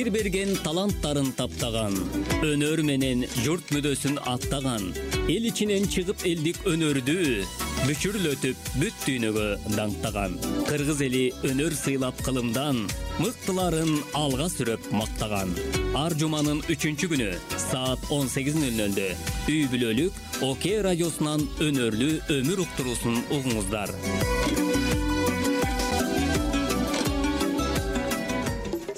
Такдир берген таланттарын таптаган, өнөр менен журт мүдөсүн аттаган, эл ичинен чыгып элдик өнөрдү бүчүрлөтүп бүт дүйнөгө даңктаган. Кыргыз эли өнөр сыйлап кылымдан, мыктыларын алга сүрөп мактаган. Ар жуманын 3-күнү саат 18:00 үй бүлөлүк ОК радиосунан өнөрлүү өмүр уктуруусун угуңуздар.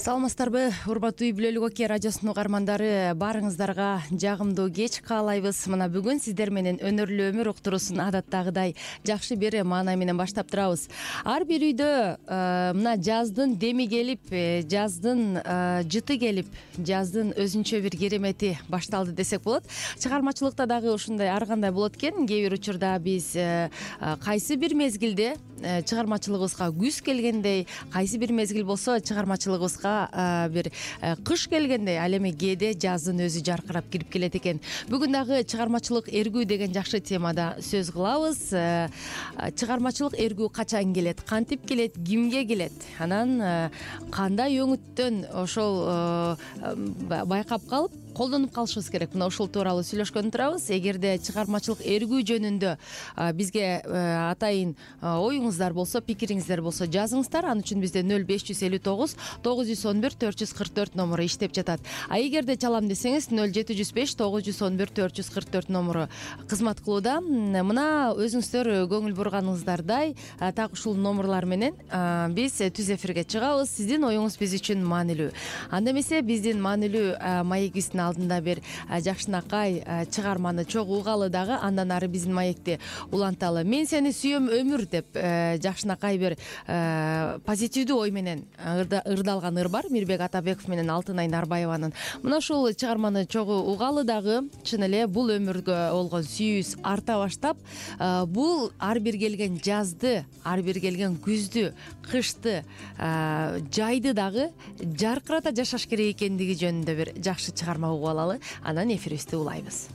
Саламатсыздарбы, урматтуу үй бүлөлүк ОК радиосунун угармандары, баарыңыздарга жагымдуу кеч каалайбыз. Мына бүгүн сиздер менен өнөрлүү өмүр уктуруусун адаттагыдай жакшы бир маанай менен баштап турабыз. Ар бир үйдө мына жаздын деми келип, жаздын жыты келип, жаздын өзүнчө бир керемети башталды десек болот. Чыгармачылыкта дагы ушундай ар кандай болот экен. Кээ бир учурда биз кайсы бир мезгилде чыгармачылыгыбызга күз келгендей, кайсы бир мезгил болсо чыгармачылыгыбызга бир кыш келгендей, ал эми кээде жаздын өзү жаркырап кирип келет экен. Бүгүн дагы чыгармачылык эргүү деген жакшы темада сөз кылабыз. Чыгармачылык эргүү качан келет, кантип келет, кимге келет, анан кандай өңүттөн ошол байкап калып колдонуп калышыбыз керек. Мына ушул тууралуу сүйлөшкөн турабыз. Эгерде чыгармачылык эргүү жөнүндө бизге атайын оюңуздар болсо, пикириңиздер болсо жазыңыздар. Ал үчүн бизде 0559 911 444 номуру иштеп жатат. А эгерде чалам десеңиз 0705 911 444 номуру кызмат кылууда. Мына өзүңүздөр көңүл бурганыңыздардай так ушул номурлар менен биз түз эфирге чыгабыз. Сиздин оюңуз биз үчүн маанилүү. Анда эмесе биздин маанилүү маегибиздин алдында бир жакшынакай чыгарманы чогуу угалы дагы андан ары биздин маекти уланталы. Мен сени сүйөм өмүр деп жакшынакай бир позитивдүү ой менен ырдалган ыр бар. Мирбек Атабеков менен Алтынай Нарбаеванын. Мына ушул чыгарманы чогуу угалы дагы чын эле бул өмүргө болгон сүйүүбүз арта баштап, бул ар бир келген жазды, ар бир келген күздү, кышты, жайды дагы жаркырата жашаш керек экендиги жөнүндө бир жакшы чыгарма угуп алалы. Анан эфирибизди улайбыз.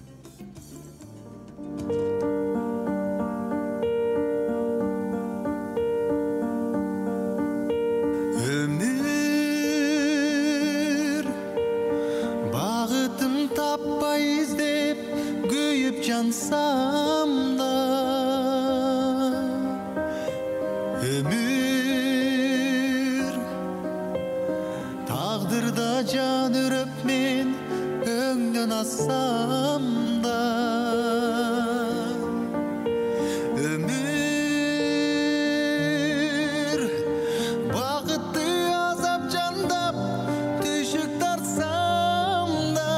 Өмүр багытым таппай издеп күйүп жансам да, өмүр тагдырда жан үрөп мен өңдөн ассам да, өмүр багытты азап жандап түшүк тартсам да,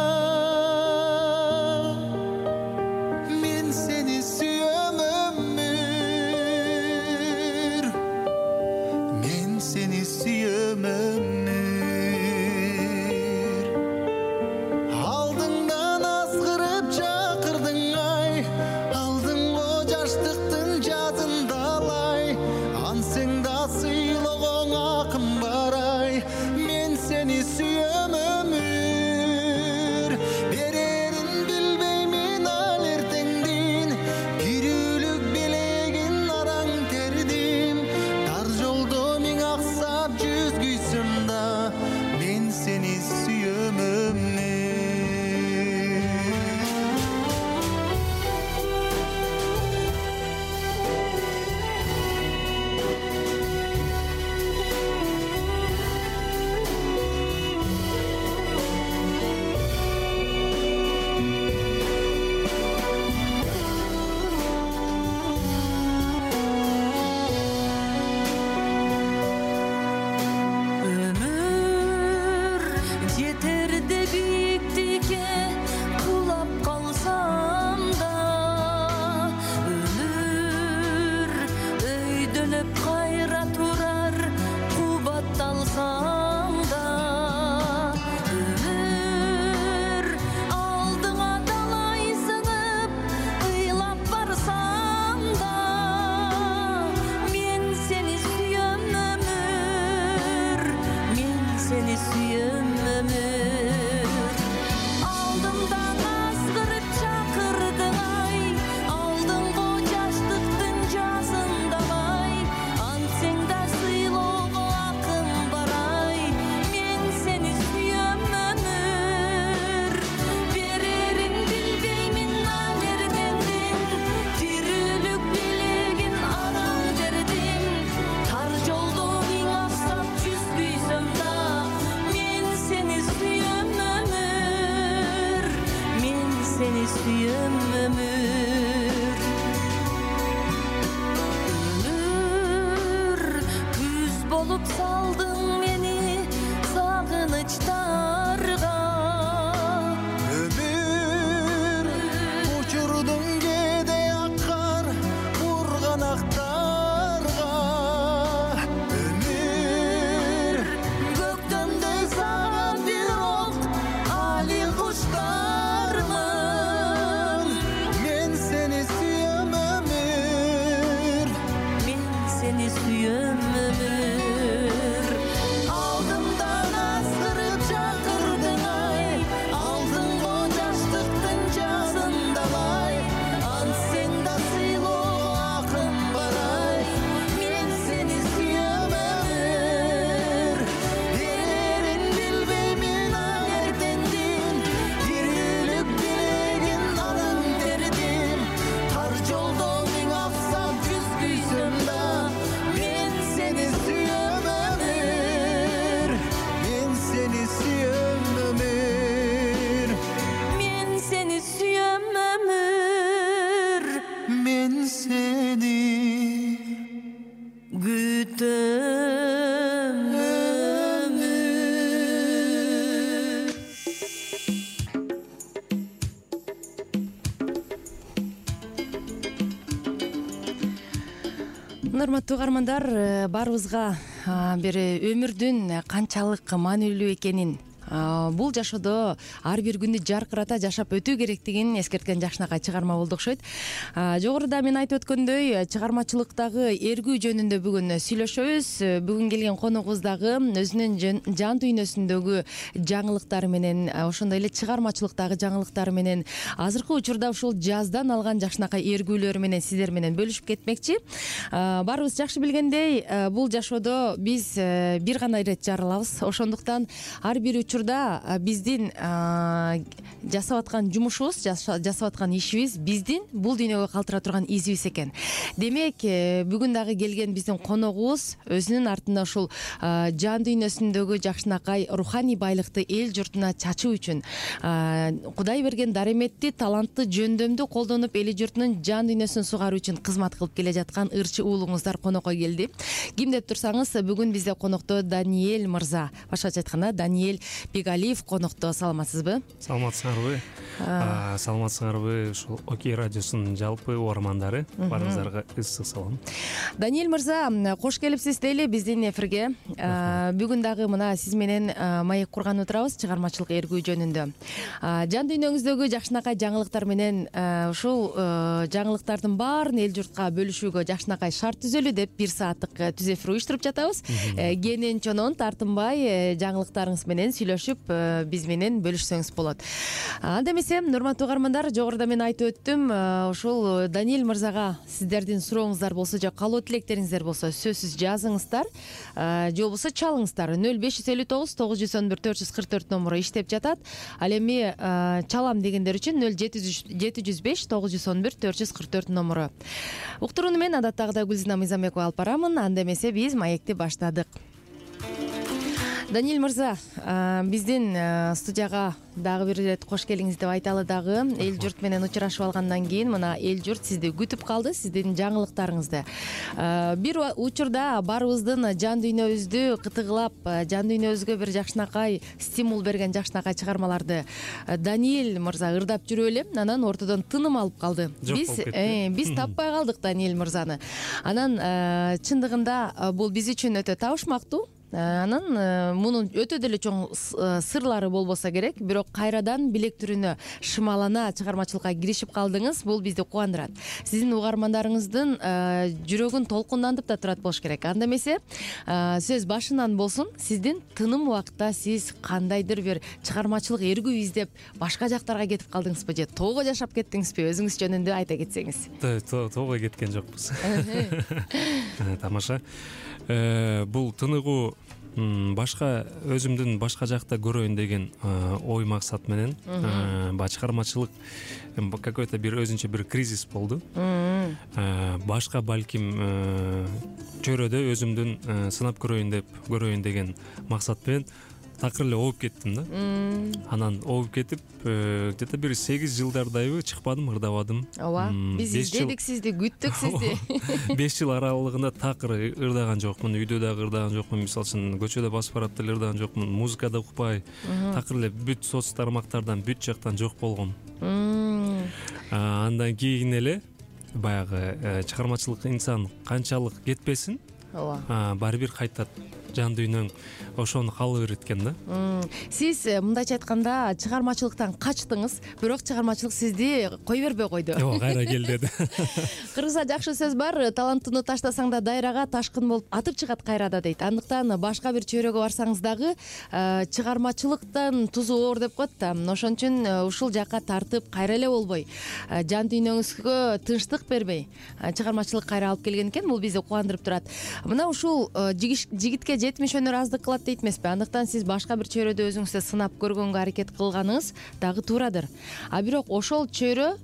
мен сени сүйөм өмүр, мен сени сүйөм өмүр. Алдыңдан азгырып чакырдың ай, алдың го жаштыктын жазында алай, ансең да сыйлогоң акым бар ай, мен сени сүйөм өмүр. Берерин билбеймин ал эртеңдин, кирүүлүк белегин араң тердим, тар жолдо миң аксап жүзгүйсүм да, мен сени сүйөм өмүр. болуп салдың мени сагынычтарга. Өмүр учурдуң кээде аккар бурганактарга. Өмүр Көктөмдөй сага бирок али куштармын. мен сени сүйөм өмүр. Мен сени сүйөм өмүр. Алдымдан азгырып чакырдың ай, алдыңго жаштыктын жазындалай. Ансең да сыйлоого акым бар ай, мен сени сүйөм өмүр. Элерин билбеймин аң эртендин, ирүүлүк билегин анан тердим. Тар жолдо миң аксап жүз күйсөм да, мен сени сүйөм өмүр. мен сени сүйөм өмүр. Мен сени сүйөм өмүр. мен сени Күтөм өмүр. Урматтуу угармандар, баарыбызга бир өмүрдүн канчалык маанилүү экенин, бул жашоодо ар бир күндү жаркырата жашап өтүү керектигин эскерткен жакшынакай чыгарма болду окшойт. Жогоруда мен айтып өткөндөй, чыгармачылыктагы эргүү жөнүндө бүгүн сүйлөшөбүз. Бүгүн келген коногубуз дагы өзүнүн жан дүйнөсүндөгү жаңылыктары менен, ошондой эле чыгармачылыктагы жаңылыктары менен, азыркы учурда ушул жаздан алган жакшынакай эргүүлөрү менен сиздер менен бөлүшүп кетмекчи. Баарыбыз жакшы билгендей, бул жашоодо биз бир гана ирет жаралабыз. Ошондуктан ар бир учурда биздин жасап аткан жумушубуз, жасап аткан ишибиз биздин бул дүйнөгө калтыра турган изибиз экен. Демек, бүгүн дагы келген биздин коногубуз өзүнүн артында ушул жан дүйнөсүндөгү жакшынакай руханий байлыкты эл журтуна чачуу үчүн, Кудай берген дареметти, талантты, жөндөмдү колдонуп эли журтунун жан дүйнөсүн сугаруу үчүн кызмат кылып келе жаткан ырчы уулуңуздар конокко келди. Ким деп турсаңыз, бүгүн бизде конокто Даниэль мырза, башкача айтканда Даниэль Бегалиев конокто. Саламатсызбы? Саламатсыңарбы? Саламатсыңарбы ушул Окей радиосунун жалпы угармандары, баарыңыздарга ысык салам. Даниэль мырза, кош келипсиз дейли биздин эфирге. Бүгүн дагы мына сиз менен маек курган отурабыз чыгармачылык эргүү жөнүндө. Жан дүйнөңүздөгү жакшынакай жаңылыктар менен ушул жаңылыктардын баарын эл журтка бөлүшүүгө жакшынакай шарт түзөлү деп бир сааттык түз эфир уюштуруп жатабыз. Кенен чонон тартынбай жаңылыктарыңыз менен сүйлөшүп биз менен бөлүшсөңүз болот. Анда эмесе, урматтуу угармандар, жогоруда мен айтып өттүм, ушул Даниэль мырзага сиздердин сурооңуздар болсо же каалоо тилектериңиздер болсо сөзсүз жазыңыздар, же болбосо чалыңыздар. 0559 911 444 номуру иштеп жатат. Ал эми чалам дегендер үчүн 0705 911 444 номуру. Уктурууну мен адаттагыдай Гүлзина Мыйзамбекова алып барамын. Анда эмесе биз маекти баштадык. Даниэль мырза, биздин студияга дагы бир ирет кош келиңиз деп айталы дагы. Эл журт менен учурашып алгандан кийин мына эл журт сизди күтүп калды, сиздин жаңылыктарыңызды. Бир учурда баарыбыздын жан дүйнөбүздү кытыгылап, жан дүйнөбүзгө бир жакшынакай стимул берген жакшынакай чыгармаларды Даниэль мырза ырдап жүрүп эле, анан ортодон тыным алып калды. Биз таппай калдык Даниэль мырзаны. Анан чындыгында бул биз үчүн өтө табышмактуу. Анан мунун өтө деле чоң сырлары болбосо керек, бирок кайрадан билектүрүнө шымалана чыгармачылыкка киришип калдыңыз. Бул бизди кубандырат. Сиздин угармандарыңыздын жүрөгүн толкундантып да турат болуш керек. Анда эмесе, сөз башынан болсун. Сиздин тыным убакытта сиз кандайдыр бир чыгармачылык эргүү издеп башка жактарга кетип калдыңызбы же тоого жашап кеттиңизби? Өзүңүз жөнүндө айта кетсеңиз. Тоого кеткен жокпуз. Тамаша. Бул тыныгуу башка өзүмдүн башка жакта көрөйүн деген ой максат менен баягы чыгармачылык какой-то бир өзүнчө бир кризис болду. Башка балким чөйрөдө өзүмдүн сынап көрөйүн деген максат менен такыр эле ооп кеттим да. Анан ооп кетип где то бир 8 жылдардайбы чыкпадым, ырдабадым. ооба, биз издедик сизди, күттүк сизди. 5 жыл аралыгында такыр ырдаган жокмун, үйдө дагы ырдаган жокмун, мисалы үчүн көчөдө басып барат деле ырдаган жокмун, музыкада укпай, такыр эле бүт соц тармактардан, бүт жактан жок болгом. Андан кийин эле баягы чыгармачылык инсан канчалык кетпесин, ооба, баары бир кайтат. Жан дүйнөң ошону каалай берет экен да. Сиз мындайча айтканда чыгармачылыктан качтыңыз, бирок чыгармачылык сизди кой бербей койду. Ооба, кайра кел деди. Кыргызда жакшы сөз бар, талантыны таштасаң да дайрага, ташкын болуп атып чыгат кайрада дейт. Андыктан башка бир чөйрөгө барсаңыз дагы чыгармачылыктан тузу оор деп коет да. Ошон үчүн ушул жакка тартып кайра эле болбой, жан дүйнөңүзгө тынчтык бербей чыгармачылык кайра алып келген экен. Бул бизди кубандырып турат. Мына ушул жигитке 70 өнөр аздык кылат дейт эмеспи? Андыктан сиз башка бир чөйрөдө өзүңүздү сынап көргөнгө аракет кылганыңыз дагы туурадыр. А бирок ошол чөйрө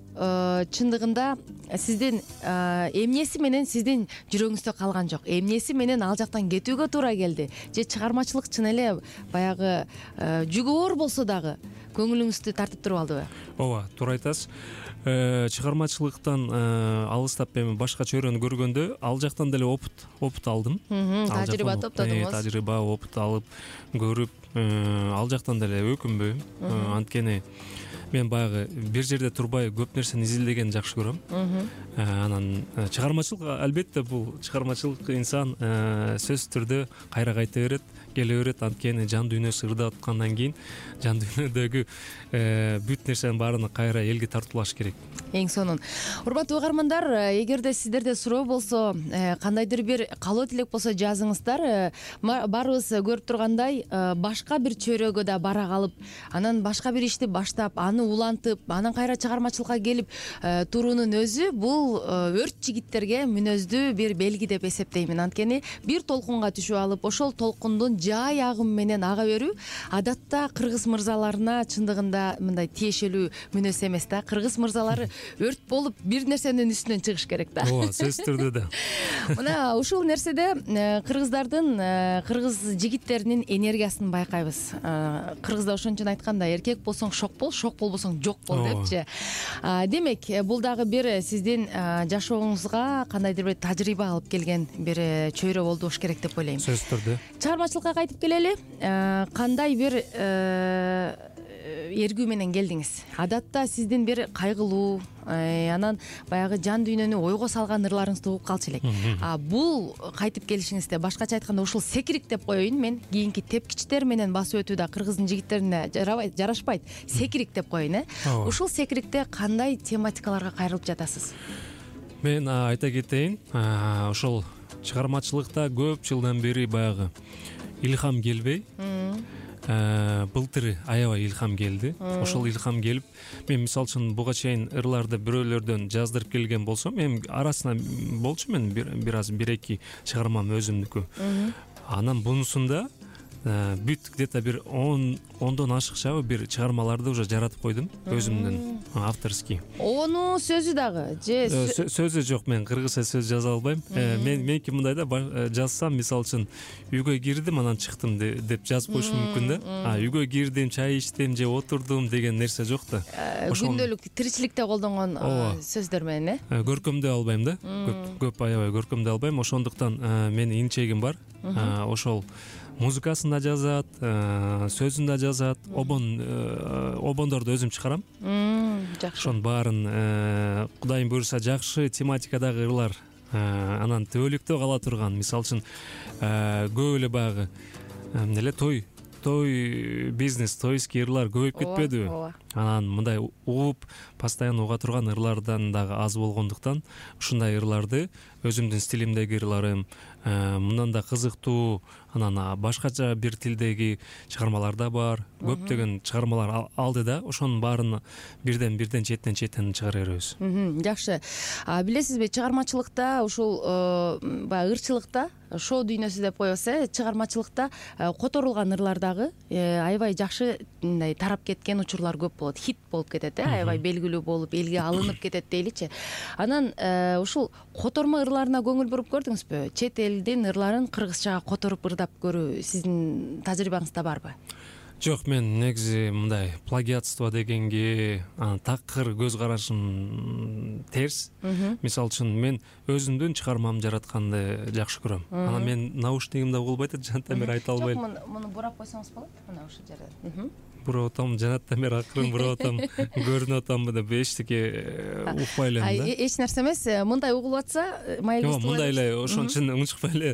чындыгында сиздин эмнеси менен сиздин жүрөгүңүздө калган жок, эмнеси менен ал жактан кетүүгө туура келди, же чыгармачылык чын эле баягы жүгү оор болсо дагы көңүлүңүздү тартып туруп алдыбы? Ооба, туура айтасыз. Чыгармачылыктан алыстап эми башка чөйрөнү көргөндө ал жактан деле опыт алдым. Тажрыйба топтодуңуз. Тажрыйба, опыт алып, көрүп, ал жактан деле өкүнбөйм. Анткени мен баягы бир жерде турбай көп нерсени изилдегенди жакшы көрөм. Анан чыгармачылык, албетте бул чыгармачылык инсан сөзсүз түрдө кайра кайта берет, келе берет. Анткени жан дүйнөсү ырдап аткандан кийин жан дүйнөдөгү бүт нерсенин баарын кайра элге тартуулаш керек. Эң сонун. Урматтуу угармандар, эгерде сиздерде суроо болсо, кандайдыр бир каалоо тилек болсо жазыңыздар. Баарыбыз көрүп тургандай, башка бир чөйрөгө да бара калып, анан башка бир ишти баштап, аны улантып, анан кайра чыгармачылыкка келип туруунун өзү бул өрт жигиттерге мүнөздүү бир белги деп эсептеймин. Анткени бир толкунга түшүп алып, ошол толкундун жай агымы менен ага берүү адатта кыргыз мырзаларына чындыгында мындай тиешелүү мүнөз эмес да. Кыргыз мырзалары өрт болуп бир нерсенин үстүнөн чыгыш керек да. Ооба, сөзсүз түрдө да. Мына ушул нерседе кыргыздардын, кыргыз жигиттеринин энергиясын байкайбыз. Кыргызда ошон үчүн айтканда, эркек болсоң шок болбосоң жок бол депчи. Демек, бул дагы бир сиздин жашооңузга кандайдыр бир тажрыйба алып келген бир чөйрө болду болуш керек деп ойлойм. Сөзсүз түрдө. Чыгармачылыкка кайтып келели. Кандай бир эргүү менен келдиңиз? Адатта сиздин бир кайгылуу, анан баягы жан дүйнөнү ойго салган ырларыңызды угуп калчу элек. Бул кайтып келишиңизде, башкача айтканда, ушул секирик деп коеюн мен, кийинки тепкичтер менен басып өтүү да кыргыздын жигиттерине жарашпайт. Секирик деп коеюн, Ушул секирикте кандай тематикаларга кайрылып жатасыз? Мен айта кетейин, ошол чыгармачылыкта көп жылдан бери баягы илхам келбей, былтыр аябай илхам келди. Ошол илхам келип, мен мисалы үчүн буга чейин ырларды бирөөлөрдөн жаздырып келген болсом, эми арасына болчу мен бир аз 1-2 чыгармам өзүмдүкү. Анан бунусунда бүт где-то бир 10дон ашыкча бир чыгармаларды уже жаратып койдум өзүмдүн авторский. Ону сөзү дагы же сөзү жок, мен кыргызча сөз жаза албайм. Меники мындай да, жазсам мисалы үчүн үйгө кирдим, анан чыктым деп жазып коюшум мүмкүн да. Үйгө кирдим, чай ичтим же отурдум деген нерсе жок да. Күндөлүк тиричиликте колдонгон сөздөр менен, көркөмдөй албайм да. Көп аябай көркөмдөй албайм. Ошондуктан менин инчегим бар. Ошол музыкасын да жазат, сөзүн да жазат, обондорду өзүм чыгарам. Жакшы. Ошонун баарын Кудайым буйруса жакшы тематикадагы ырлар, анан төбөлүктө кала турган, мисалы үчүн көп эле баягы эле той бизнес, тойский ырлар көбөйүп кетпедиби? Анан мындай угуп, постоянно уга турган ырлардан дагы аз болгондуктан ушундай ырларды, өзүмдүн стилимдеги ырларым, мындан да кызыктуу, анан башкача бир тилдеги чыгармалар да бар. Көптөгөн чыгармалар алды да, ошонун баарын бирден четтен чыгара беребиз. Жакшы. Билесизби, чыгармачылыкта ушул баягы ырчылыкта, шоу дүйнөсү деп коебуз, чыгармачылыкта которулган ырлар дагы аябай жакшы мындай тарап кеткен учурлар көп болот, хит болуп кетет, аябай белгилүү болуп элге алынып кетет дейличи. Анан ушул котормо ырларына көңүл буруп көрдүңүзбү? Чет элдин ырларын кыргызчага которуп ырдап көрүү сиздин тажрыйбаңызда барбы? Жок, мен негизи мындай плагиатство дегенге такыр көз карашым терс. Мисалы үчүн мен өзүмдүн чыгармамды жаратканды жакшы көрөм. Анан мен наушнигимде болбойт, жанаттан бери айта албайм. Жок, муну бурап койсоңуз болот. Мына ушул жерден. Буруп атам, жанаттан бери акырын буруп атам, көрүнүп атамбы деп эчтеке укпай элем да. Эч нерсе эмес, мындай угулуп атса, маегибизди Жок, мындай эле ошон үчүн унчукпай эле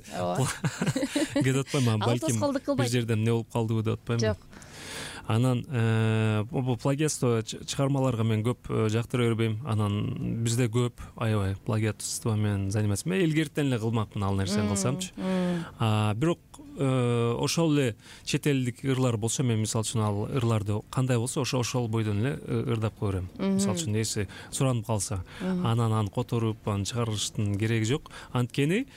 кетип атпайм, балким бир жерде эмне болуп калдыбы деп атпайм. Жок. Анан бул плагиатство чыгармаларга мен көп жактыра бербейм. Анан бизде көп аябай плагиатство менен заниматься. Мен илгертен эле кылмакмын ал нерсени кылсамчы. Бирок ошол эле чет элдик ырлар болсо, мен мисалы үчүн ал ырларды кандай болсо ошол бойдон эле ырдап койбойм. Мисалы үчүн эси суранып калса, анан аны которуп чыгарыштын кереги жок. Анткени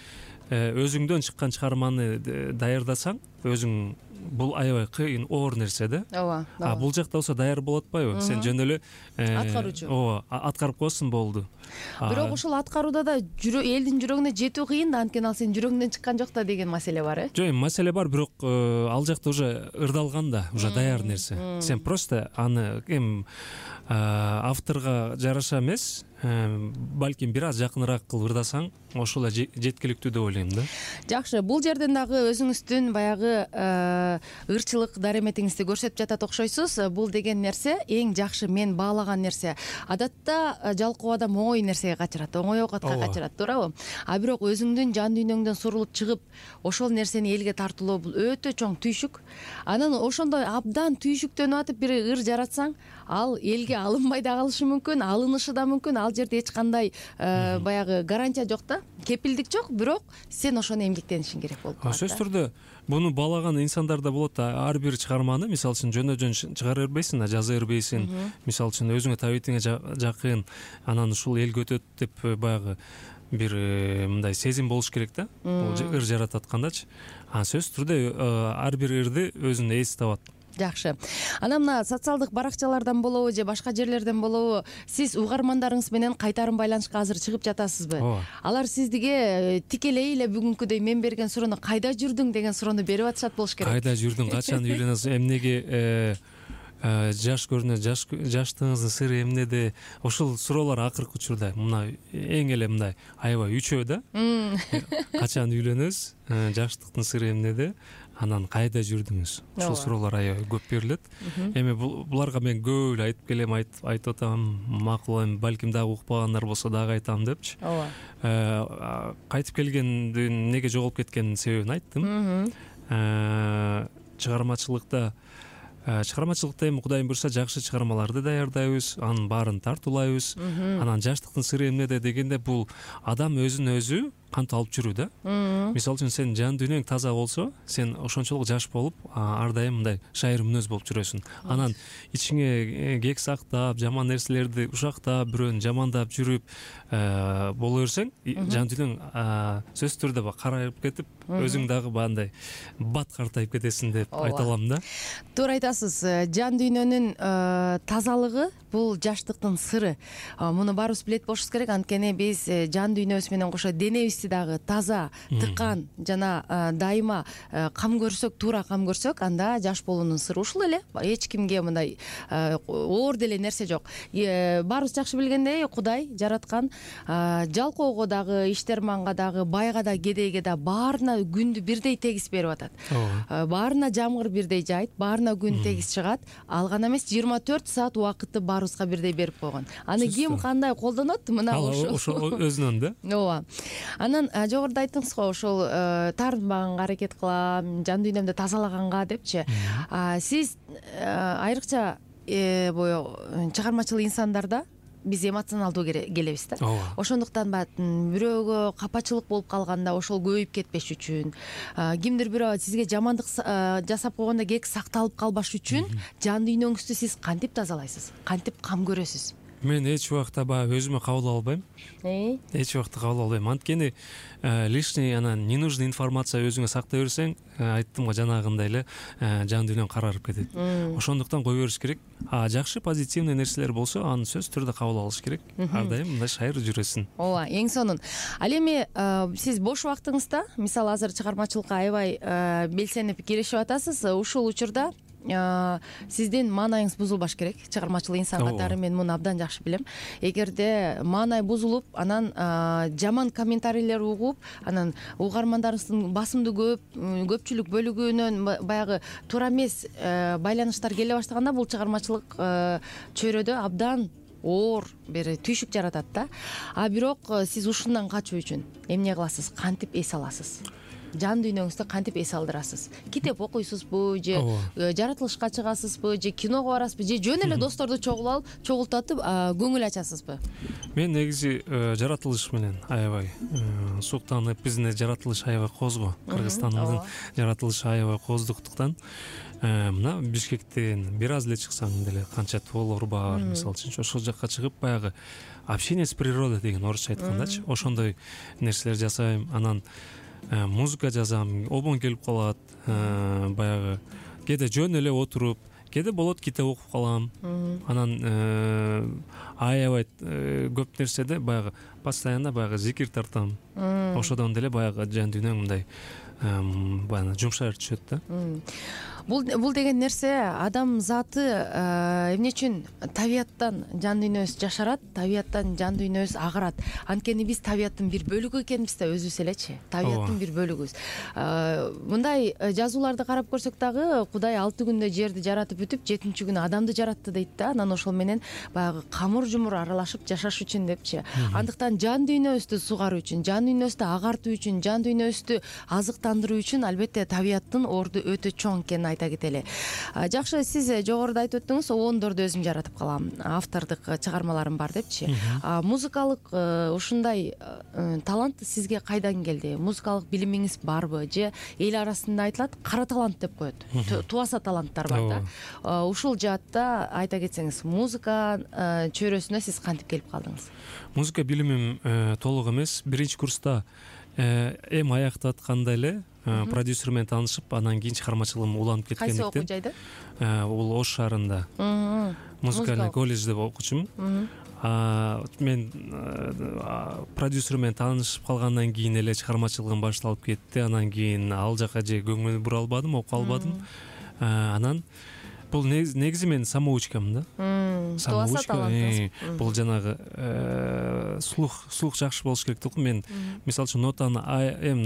өзүңдөн чыккан чыгарманы даярдасаң, өзүң бул аябай кыйын, оор нерсе да. Ооба. Бул жакта болсо даяр болуп атпайбы? Сен жөн эле аткаруучу. Ооба, аткарып коесуң, болду. Бирок ушул аткарууда да элдин жүрөгүнө жетүү кыйын да, анткени ал сенин жүрөгүңдөн чыккан жок да деген маселе бар, Жок, маселе бар, бирок ал жакта уже ырдалган да, уже даяр нерсе. Сен просто аны авторго жараша эмес, балким бир аз жакыныраак кылып ырдасаң, ошол эле жеткиликтүү деп ойлойм да. Жакшы, бул жерден дагы өзүңүздүн баягы ырчылык дареметиңизди көрсөтүп жатат окшойсуз. Бул деген нерсе эң жакшы мен баалаган нерсе. Адатта жалкоо адам оңой нерсеге качырат, оңой оокатка качырат, туурабы? Бирок өзүңдүн жан дүйнөңдөн сурулуп чыгып, ошол нерсени элге тартуулоо бул өтө чоң түйшүк. Анан ошондой абдан түйшүктөнүп атып бир ыр жаратсаң, ал элге алынбай да калышы мүмкүн, алынышы да мүмкүн. Ал жерде эч кандай баягы гарантия жок да, кепилдик жок, бирок сен ошону эмгектенишиң керек болуп калат. Сөзсүз түрдө буну баалаган инсандар да болот да. Ар бир чыгарманы, мисалы үчүн жөн чыгара бербейсиң да, жаза бербейсиң. Мисалы үчүн өзүңө табитиңе жакын, анан ушул элге өтөт деп баягы бир мындай сезим болуш керек да. Бул ыр жаратып аткандачы. Сөзсүз түрдө ар бир ырды өзүнө эс табат. Жакшы. Анан мына социалдык баракчалардан болобу же башка жерлерден болобу, сиз угармандарыңыз менен кайтарым байланышка азыр чыгып жатасызбы? Алар сизге тикелей эле бүгүнкүдөй мен берген суроону кайда жүрдүң деген суроону берип атышат болуш керек. Кайда жүрдүң, качан үйлөнөсүң, эмнеге жаш көрүнөт, жаштыгыңыздын сыры эмнеде? Ошол суроолор акыркы учурда мына эң эле мындай аябай үчөө да. Качан үйлөнөсүз, жаштыктын сыры эмнеде? Анан кайда жүрдүңүз? Ушул суроолор аябай көп берилет. Эми буларга мен көп эле айтып келем, айтып атам, макул, балким дагы укпагандар болсо дагы айтам депчи. Кайтып келгендин неге жоголуп кеткенин себебин айттым. Чыгармачылыкта эми Кудайым буйрса жакшы чыгармаларды даярдайбыз, анын баарын тартуулайбыз. Анан жаштыктын сыры эмнеде дегенде, бул адам өзүн өзү кантип алып жүрүү да. Мисалы үчүн сен жан дүйнөң таза болсо, сен ошончолук жаш болуп, ар дайым мындай шайыр мүнөз болуп жүрөсүң. Анан ичиңе кек сактап, жаман нерселерди ушактап, бирөөнү жамандап жүрүп боло берсең, жан дүйнөң сөзсүз түрдө карайып кетип, өзүң дагы бандай бат картайып кетесиң деп айта алам да. Туура айтасыз. Жан дүйнөнүн тазалыгы бул жаштыктын сыры. Муну баарыбыз билет болушубуз керек, анткени биз жан дүйнөбүз менен кошо денебизди дагы таза, тыкан жана дайыма кам көрсөк, туура кам көрсөк, анда жаш болуунун сыры ушул эле. Эч кимге мындай оор деле нерсе жок. Баарыбыз жакшы билгендей, Кудай жараткан жалкоого дагы, иштерманга дагы, байга да, кедейге да баарына күндү бирдей тегиз берип атат. Баарына жамгыр бирдей жайт, баарына күн тегиз чыгат. Ал гана эмес, 24 саат убакытты баарыбызга бирдей берип койгон. Аны ким кандай колдонот? Мына ошол өзүнөн да. Ооба. Анан жогоруда айттыңыз го, ошол таарынбаганга аракет кылам, жан дүйнөмдү тазалаганга депчи. Сиз айрыкча чыгармачыл инсандарда биз эмоционалдуу келебиз да. Ошондуктан бирөөгө капачылык болуп калганда ошол көбөйүп кетпеш үчүн, кимдир бирөө сизге жамандык жасап койгондо кек сакталып калбаш үчүн жан дүйнөңүздү сиз кантип тазалайсыз? Кантип кам көрөсүз? Мен эч убакта баягы өзүмө кабыл албайм. Эч убакта кабыл албайм. Анткени лишний анан ненужный информация өзүңө сактай берсең, айттым го жанагындай эле жан дүйнөң карарып кетет. Ошондуктан кое бериш керек. Жакшы позитивный нерселер болсо, аны сөзсүз түрдө кабыл алыш керек. Ар дайым мындай шайыр жүрөсүн. Ооба, эң сонун. Ал эми сиз бош убактыңызда, мисалы азыр чыгармачылыкка аябай белсенип киришип атасыз. Ушул учурда сиздин маанайыңыз бузулбаш керек. Чыгармачыл инсан катары мен муну абдан жакшы билем. Эгерде маанай бузулуп, анан жаман комментарийлер угуп, анан угармандарыңыздын басымдуу көпчүлүк бөлүгүнөн баягы туура эмес байланыштар келе баштаганда, бул чыгармачылык чөйрөдө абдан оор бир түйшүк жаратат да. Бирок сиз ушундан качуу үчүн эмне кыласыз? Кантип эс аласыз? Жан дүйнөңүздү кантип эс алдырасыз? Китеп окуйсузбу, же жаратылышка чыгасызбы, же киного барасызбы, же жөн эле досторду чогултатып көңүл ачасызбы? Мен негизи жаратылыш менен аябай суктанып, биздин жаратылыш аябай козго, Кыргызстандын жаратылышы аябай коздуктуктан мына Бишкектен бир аз эле чыксаң деле канча тоолор бар, мисалы үчүн ошол жакка чыгып баягы общение с природой деген орусча айткандачы, ошондой нерселер жасайм. Анан музыка жазам, обон келип калат, баягы кээде жөн эле отуруп, кээде болот китеп окуп калам. Анан аябай көп нерседе баягы постоянно баягы зикир тартам. Ошодон деле баягы жан дүйнөң мындай баягы жумшайып түшөт да. Бул деген нерсе адам заты эмне үчүн табияттан жан дүйнөбүз жашарат, табияттан жан дүйнөбүз агарат. Анткени биз табияттын бир бөлүгү экенбиз да, өзүбүз элечи. Табияттын бир бөлүгүбүз. Мындай жазууларды карап көрсөк дагы Кудай 6 күндө жерди жаратып бүтүп, 7-чү күнү адамды жаратты дейт да. Анан ошол менен баягы камыр жумур аралашып жашаш үчүн депчи. Андыктан жан дүйнөбүздү сугаруу үчүн, жан дүйнөбүздү агартуу үчүн, жан дүйнөбүздү азыктандыруу үчүн албетте табияттын орду өтө чоң экенин айта кетели. Жакшы, сиз жогоруда айтып өттүңүз, оондорду өзүм жаратып калам, автордук чыгармаларым бар депчи. Музыкалык ушундай талант сизге кайдан келди? Музыкалык билимиңиз барбы? Же эл арасында айтылат, кара талант деп коет. Тубаса таланттар бар да. Ушул жаатта айта кетсеңиз, музыка чөйрөсүнө сиз кантип келип калдыңыз? Музыка билимим толук эмес. Биринчи курста эми аяктатканда эле продюсер менен таанышып, анан кийин чыгармачылыгым уланып кеткендиктен. Кайсы окуу жайда? Бул Ош шаарында музыкальный колледжде окучумун. Мен продюсер менен таанышып калгандан кийин эле чыгармачылыгым башталып кетти. Анан кийин ал жака же көңүл бура албадым, окуп албадым. Анан бул негизи мен самоучкам да. Самоучка. Бул жанагы слух жакшы болуш керек да. Мен мисалы үчүн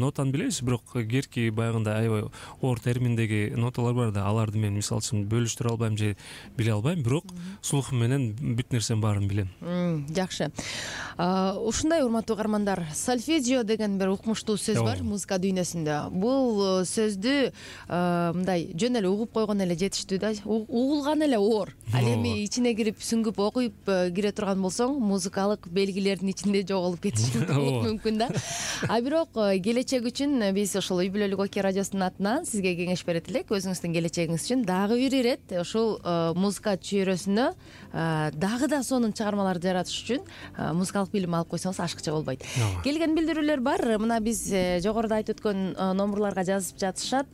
нотаны билебиз, бирок керки баягындай аябай оор терминдеги ноталар бар да, аларды мен мисалы үчүн бөлүштүрө албайм же биле албайм, бирок слухум менен бүт нерсенин баарын билем. Жакшы. Ушундай урматтуу угармандар, сольфеджио деген бир укмуштуу сөз бар музыка дүйнөсүндө. Бул сөздү мындай жөн эле угуп койгон эле жетиштүү да. Угулган эле оор. Ал эми ичине кирип сүңгүп окуйп кире турган болсоң, музыкалык белгилердин ичинде жоголуп кетиши мүмкүн да. Бирок келечек үчүн биз ошол Үй бүлөлүк Оке радиосунун атынан сизге кеңеш берет элек. Өзүңүздүн келечегиңиз үчүн дагы бир ирет ушул музыка чөйрөсүнө дагы да сонун чыгармаларды жаратыш үчүн музыкалык билим алып койсоңуз ашыкча болбойт. Келген билдирүүлөр бар. Мына биз жогоруда айтып өткөн номурларга жазып жатышат.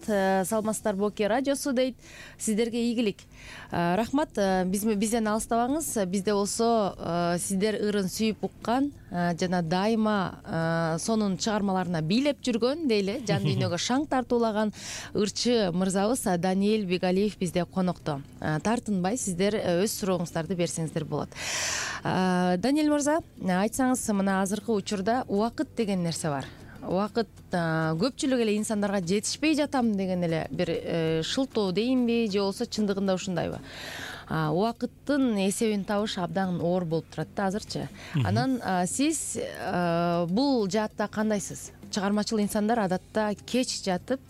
Саламатсыздарбы Оке радиосу дейт. Сиздерге ийгилик. Рахмат. Бизден алыстабаңыз. Бизде болсо сиздер ырын сүйүп уккан жана дайыма сонун чыгармаларына бийлеп жүргөн дейли, жан дүйнөгө шаң тартуулаган ырчы мырзабыз Даниэль Бегалиев бизде конокто. Тартынбай сиздер өз сурооңуздарды берсеңиздер болот. Даниэль мырза, айтсаңыз, мына азыркы учурда убакыт деген нерсе бар. Убакыт көпчүлүк эле инсандарга жетишпей жатам деген эле бир шылтоо дейинби, же болбосо чындыгында ушундайбы? Убакыттын эсебин табыш абдан оор болуп турат да азырчы. Анан сиз бул жаатта кандайсыз? Чыгармачыл инсандар адатта кеч жатып,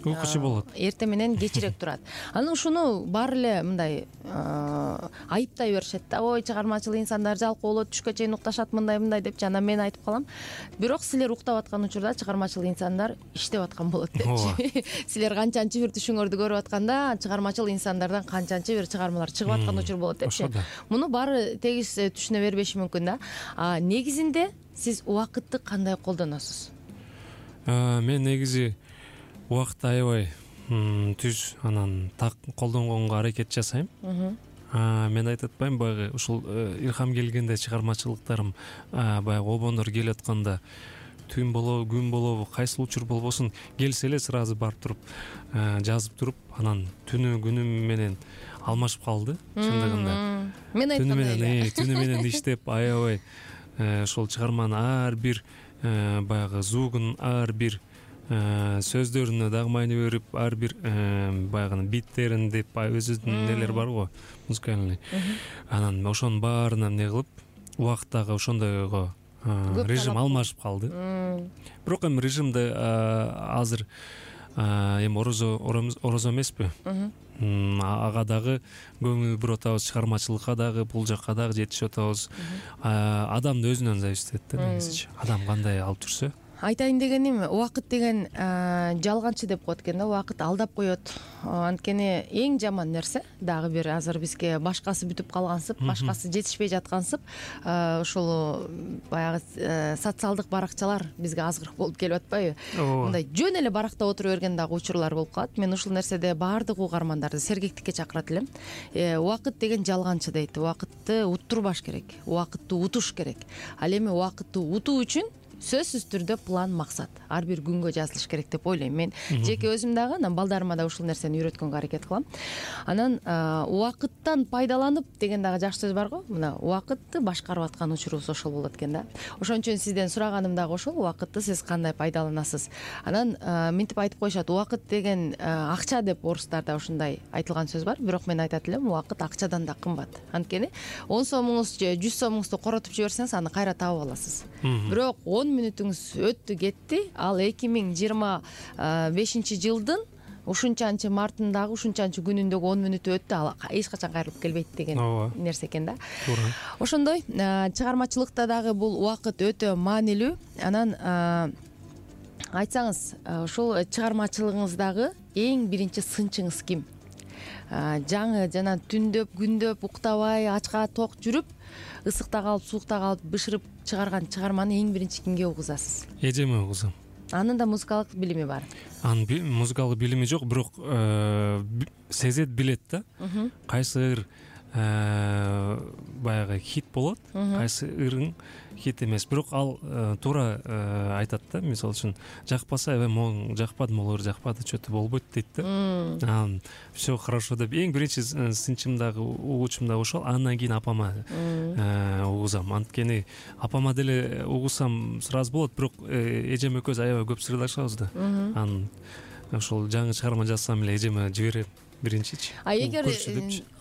Уйкучу болот. Эртең менен кечирээк турат. Анан ушуну баары эле мындай айыптай беришет да. Ой, чыгармачыл инсандар жалкоо болот, түшкө чейин укташат, мындай депчи. Анан мен айтып калам. Бирок силер уктап аткан учурда чыгармачыл инсандар иштеп аткан болот депчи. Силер канчанчы бир түшүңөрдү көрүп атканда чыгармачыл инсандардан канчанчы бир чыгармалар чыгып аткан учур болот депчи. Муну баары тегиз түшүнө бербеши мүмкүн да. Негизинде сиз убакытты кандай колдоносуз? Мен негизи убакытты аябай түз анан так колдонгонго аракет жасайм. Мен айтып атпайм, баягы ушул илхам келгенде чыгармачылыктарым баягы обондор келип атканда түн болобу, күн болобу, кайсыл учур болбосун келсе эле сразу барып туруп жазып туруп, анан түнү күнү менен алмашып калды чындыгында. Мен айткандай түнү менен иштеп аябай ошол чыгарманын ар бир баягы звугун, ар бир сөздөрүнө дагы маани берип, ар бир баягы биттерин деп өзүнүн нелери бар го, музыкальный. Анан ошонун баарына эмне кылып, убакыт дагы ошондойго режим алмашып калды. Бирок эми режимде азыр эми орозо эмеспи. Ага дагы көңүл буруп атабыз, чыгармачылыкка дагы, бул жакка дагы жетишип атабыз. Адамдын өзүнөн зависит этет да негизичи. Адам кандай алып жүрсө. Айтайын дегеним, убакыт деген жалганчы деп коет экен да, убакыт алдап коет. Анткени эң жаман нерсе дагы бир азыр бизге башкасы бүтүп калгансып, башкасы жетишпей жаткансып, ошол баягы социалдык баракчалар бизге азгырык болуп келип атпайбы? Мындай жөн эле баракта отура берген дагы учурлар болуп калат. Мен ушул нерседе баардык угармандарды сергектикке чакырат элем. Убакыт деген жалганчы дейт. Убакытты уттурбаш керек. Убакытты утуш керек. Ал эми убакытты утуу үчүн сөзсүз түрдө план, максат ар бир күнгө жазылыш керек деп ойлойм. Мен жеке өзүм дагы, анан балдарыма да ушул нерсени үйрөткөнгө аракет кылам. Анан убакыттан пайдаланып деген дагы жакшы сөз бар го. Мына убакытты башкарып аткан учурубуз ошол болот экен да. Ошон үчүн сизден сураганым дагы ошол, убакытты сиз кандай пайдаланасыз? Анан мынтип айтып коюшат, убакыт деген акча деп, орустарда ушундай айтылган сөз бар. Бирок мен айтат элем, убакыт акчадан да кымбат. Анткени 10 сомуңуз же 100 сомуңузду коротуп жиберсеңиз, аны кайра таап аласыз. Бирок 10 мүнөтүңүз өттү кетти, ал 2025 жылдын ушунчанчы мартындагы, ушунчанчы күнүндөгү 10 мүнөтү өттү, ал эч качан кайрылып келбейт деген нерсе экен да. Туура. Ошондой чыгармачылыкта дагы бул убакыт өтө маанилүү. Анан айтсаңыз, ушул чыгармачылыгыңыздагы эң биринчи сынчыңыз ким? Жаңы жана түндөп, күндөп уктабай, ачка ток жүрүп, ысыкта калып, суукта калып бышырып чыгарган чыгарманы эң биринчи кимге угузасыз? Эжеме угузам. Анын да музыкалык билими бар. Анын музыкалык билими жок, бирок сезет, билет да. Кайсы ыр баягы хит болот, кайсы ырың хит эмес. Бирок ал туура айтат да, мисалы үчүн жакпаса, моң жакпады, могу жакпады, чөтү болбойт дейт да. Все хорошо деп эң биринчи сынчым дагы, угуучум дагы ошол. Андан кийин апама угузам. Анткени апама деле угусам сразу болот, бирок эжем экөөбүз аябай көп сырлашабыз да. Анан ошол жаңы чыгарма жазсам эле эжеме жиберем биринчичи. Эгер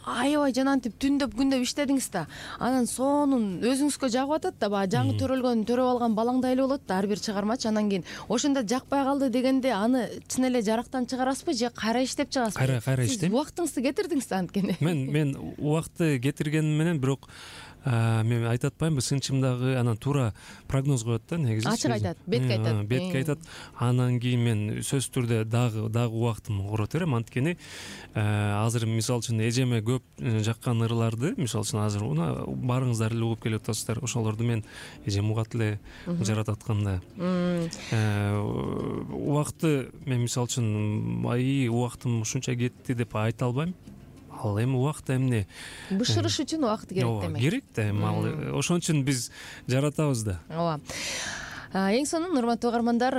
аябай жанантип түндөп күндөп иштедиңиз да, анан сонун өзүңүзгө жагып атат да, баягы жаңы төрөлгөн, төрөп алган балаңдай эле болот да ар бир чыгармачы. Анан кийин ошондо жакпай калды дегенде аны чын эле жарактан чыгарасызбы же кайра иштеп чыгасызбы? Кайра иштейм. Убактыңызды кетирдиңиз да анткени. Мен убакытты кетиргеним менен, бирок мен айтат атпаймынбы, сынчымдагы анан туура прогноз коет да негизи. Ачык айтат, бетке айтат. Бетке айтат. Анан кийин мен сөзсүз түрдө дагы убактымды корото берем. Анткени азыр мисалы үчүн эжеме көп жаккан ырларды, мисалы үчүн азыр баарыңыздар эле угуп келип атасыздар. Ошолорду мен эжем угат эле жаратып атканда. Убакытты мен мисалы үчүн убактым ушунча кетти деп айта албайм. Ал эми убакыт эмне? Бышырыш үчүн убакыт керек демек. Керек да, эми ошон үчүн биз жаратабыз да. Ооба. Эң сонун, урматтуу угармандар,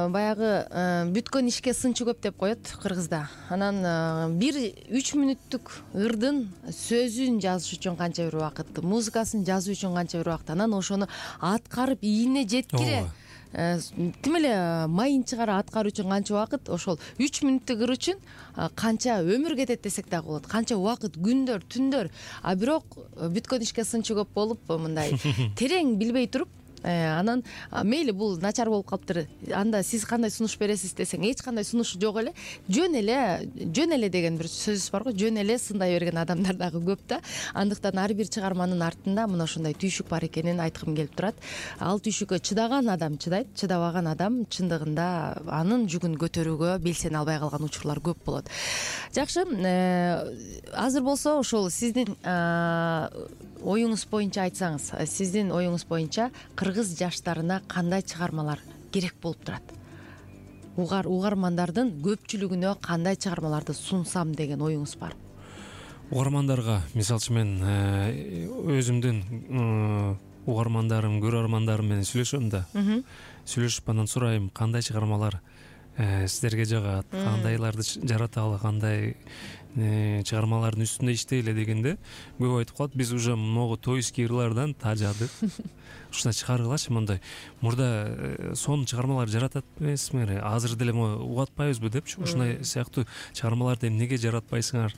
баягы бүткөн ишке сынчы көп деп коет кыргызда. Анан бир 3 мүнөттүк ырдын сөзүн жазыш үчүн канча бир убакыт, музыкасын жазуу үчүн канча бир убакыт, анан ошону аткарып ийине жеткире тим эле майын чыгара аткаруу үчүн канча убакыт, ошол 3 мүнөттүк ыр үчүн канча өмүр кетет десек дагы болот, канча убакыт, күндөр, түндөр. Бирок бүткөн ишке сынчы көп болуп, мындай терең билбей туруп, Анан мейли бул начар болуп калыптыр, анда сиз кандай сунуш бересиз десең эч кандай сунуш жок эле, жөн эле деген бир сөзүбүз бар го, жөн эле сындай берген адамдар дагы көп да. Андыктан ар бир чыгарманын артында мына ошондой түйшүк бар экенин айткым келип турат. Ал түйшүккө чыдаган адам чыдайт, чыдабаган адам чындыгында анын жүгүн көтөрүүгө белсене албай калган учурлар көп болот. Жакшы, азыр болсо ошол сиздин оюңуз боюнча айтсаңыз, сиздин оюңуз боюнча кыргыз жаштарына кандай чыгармалар керек болуп турат? Угармандардын көпчүлүгүнө кандай чыгармаларды сунсам деген оюңуз бар? Угармандарга, мисалы үчүн мен өзүмдүн угармандарым, көрөрмандарым менен сүйлөшөм да. Сүйлөшүп анан сурайм, кандай чыгармалар сиздерге жагат, кандайларды жараталы, кандай чыгармалардын үстүндө иштейле дегенде көп айтып калат, биз уже могу тойский ырлардан тажадык. Ушундай чыгаргылачы, мындай мурда сонун чыгармалар жаратат эмессиңер, азыр деле угуп атпайбызбы депчи. Ушундай сыяктуу чыгармаларды эмнеге жаратпайсыңар?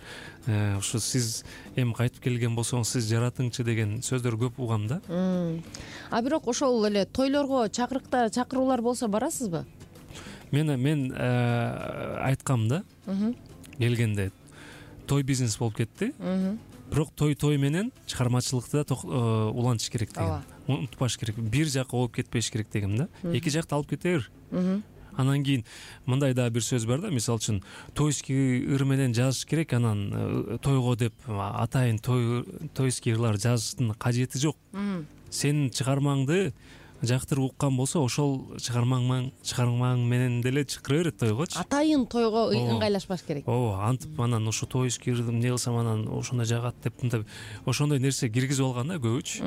Ушу сиз эми кайтып келген болсоңуз сиз жаратыңчы деген сөздөр көп угам да. А бирок ошол эле тойлорго чакыруулар болсо барасызбы? Мен айткам да, келгенде той бизнес болуп кетти. Бирок той менен чыгармачылыкты да улантыш керек деген. Унутпаш керек. Бир жака болуп кетпеш керек дегем да. Эки жакты алып кете бер. Анан кийин мындай да бир сөз бар да, мисалы үчүн тойский ыр менен жазыш керек, анан тойго деп атайын тойский ырлар жазыштын кажети жок. Сенин чыгармаңды жактырып уккан болсо, ошол чыгармаң менен деле чыкыра берет тойгочу. Атайын тойго ыңгайлашпаш керек. Ооба, антип анан ошо тойский ырдым эмне кылсам анан ошондой жагат деп мындай ошондой нерсе киргизип алган да көбүчү.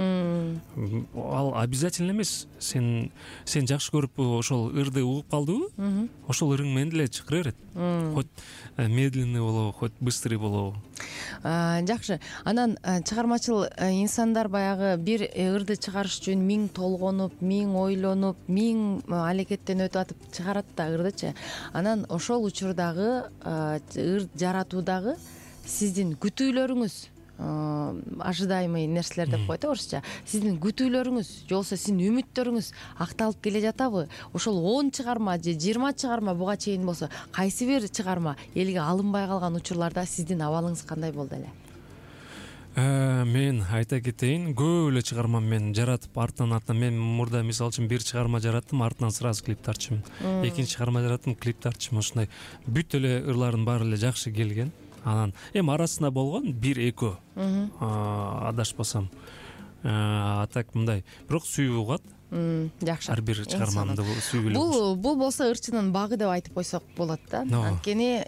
Ал обязательно эмес. Сен жакшы көрүп ошол ырды угуп калдыбы, ошол ырың менен деле чыкыра берет. Хоть медленный болобу, хоть быстрый болобу. Жакшы. Анан чыгармачыл инсандар баягы бир ырды чыгарыш үчүн миң толгонуп, миң ойлонуп, миң алекеттен өтүп атып чыгарат да ырдычы. Анан ошол учурдагы ыр жаратуудагы сиздин күтүүлөрүңүз, ожидаемый нерселер деп коет орусча. Сиздин күтүүлөрүңүз, же болбосо сиздин үмүттөрүңүз акталып келе жатабы? Ошол 10 чыгарма же 20 чыгарма буга чейин болсо, кайсы бир чыгарма элге алынбай калган учурларда сиздин абалыңыз кандай болду эле? Мен айта кетейин, көп эле чыгарма мен жаратып артынан мен мурда мисалы үчүн бир чыгарма жараттым, артынан сразу клип тартчумун. Экинчи чыгарма жараттым, клип тартчумун. Ушундай бүт эле ырлардын баары эле жакшы келген. Анан эми арасында болгон 1-2 адашпасам. А так мындай, бирок сүйүп угат. Жакшы. Ар бир чыгармамды сүйүп эле. Бул болсо ырчынын багы деп айтып койсок болот да. Анткени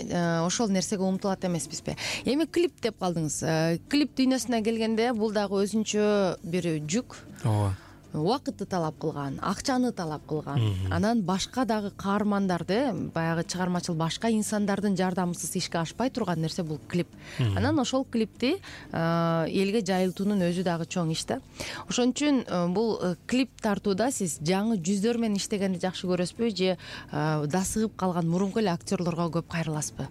ошол нерсеге умтулат эмеспизби? Эми клип деп калдыңыз. Клип дүйнөсүнө келгенде бул дагы өзүнчө бир жүк. Ооба. Убакытты талап кылган, акчаны талап кылган. Анан башка дагы каармандарды, баягы чыгармачыл башка инсандардын жардамысыз ишке ашпай турган нерсе бул клип. Анан ошол клипти элге жайылтуунун өзү дагы чоң иш да. Ошон үчүн бул клип тартууда сиз жаңы жүздөр менен иштегенди жакшы көрөсүзбү, же дасыгып калган мурунку эле актерлорго көп кайрыласызбы?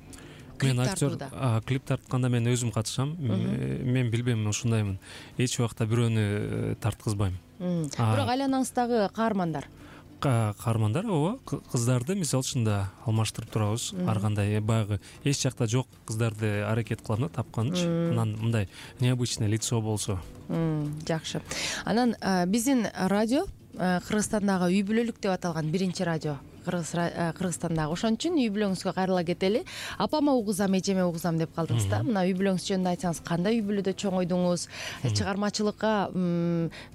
Мен актер клип тартканда мен өзүм катышам. Мен билбейм, ушундаймын. Эч убакта бирөөнү тарткызбайм. Бирок айланаңыздагы каармандар? Каармандар, ооба, кыздарды мисалы үчүн да алмаштырып турабыз. Ар кандай баягы эч жакта жок кыздарды аракет кылам да тапканчы. Анан мындай необычное лицо болсо. Жакшы. Анан биздин радио Кыргызстандагы үй бүлөлүк деп аталган биринчи радио Кыргызстандагы. Ошон үчүн үй бүлөңүзгө кайрыла кетели. Апама угузам, эжеме угузам деп калдыңыз да. Мына үй бүлөңүз жөнүндө айтсаңыз, кандай үй бүлөдө чоңойдуңуз? Чыгармачылыкка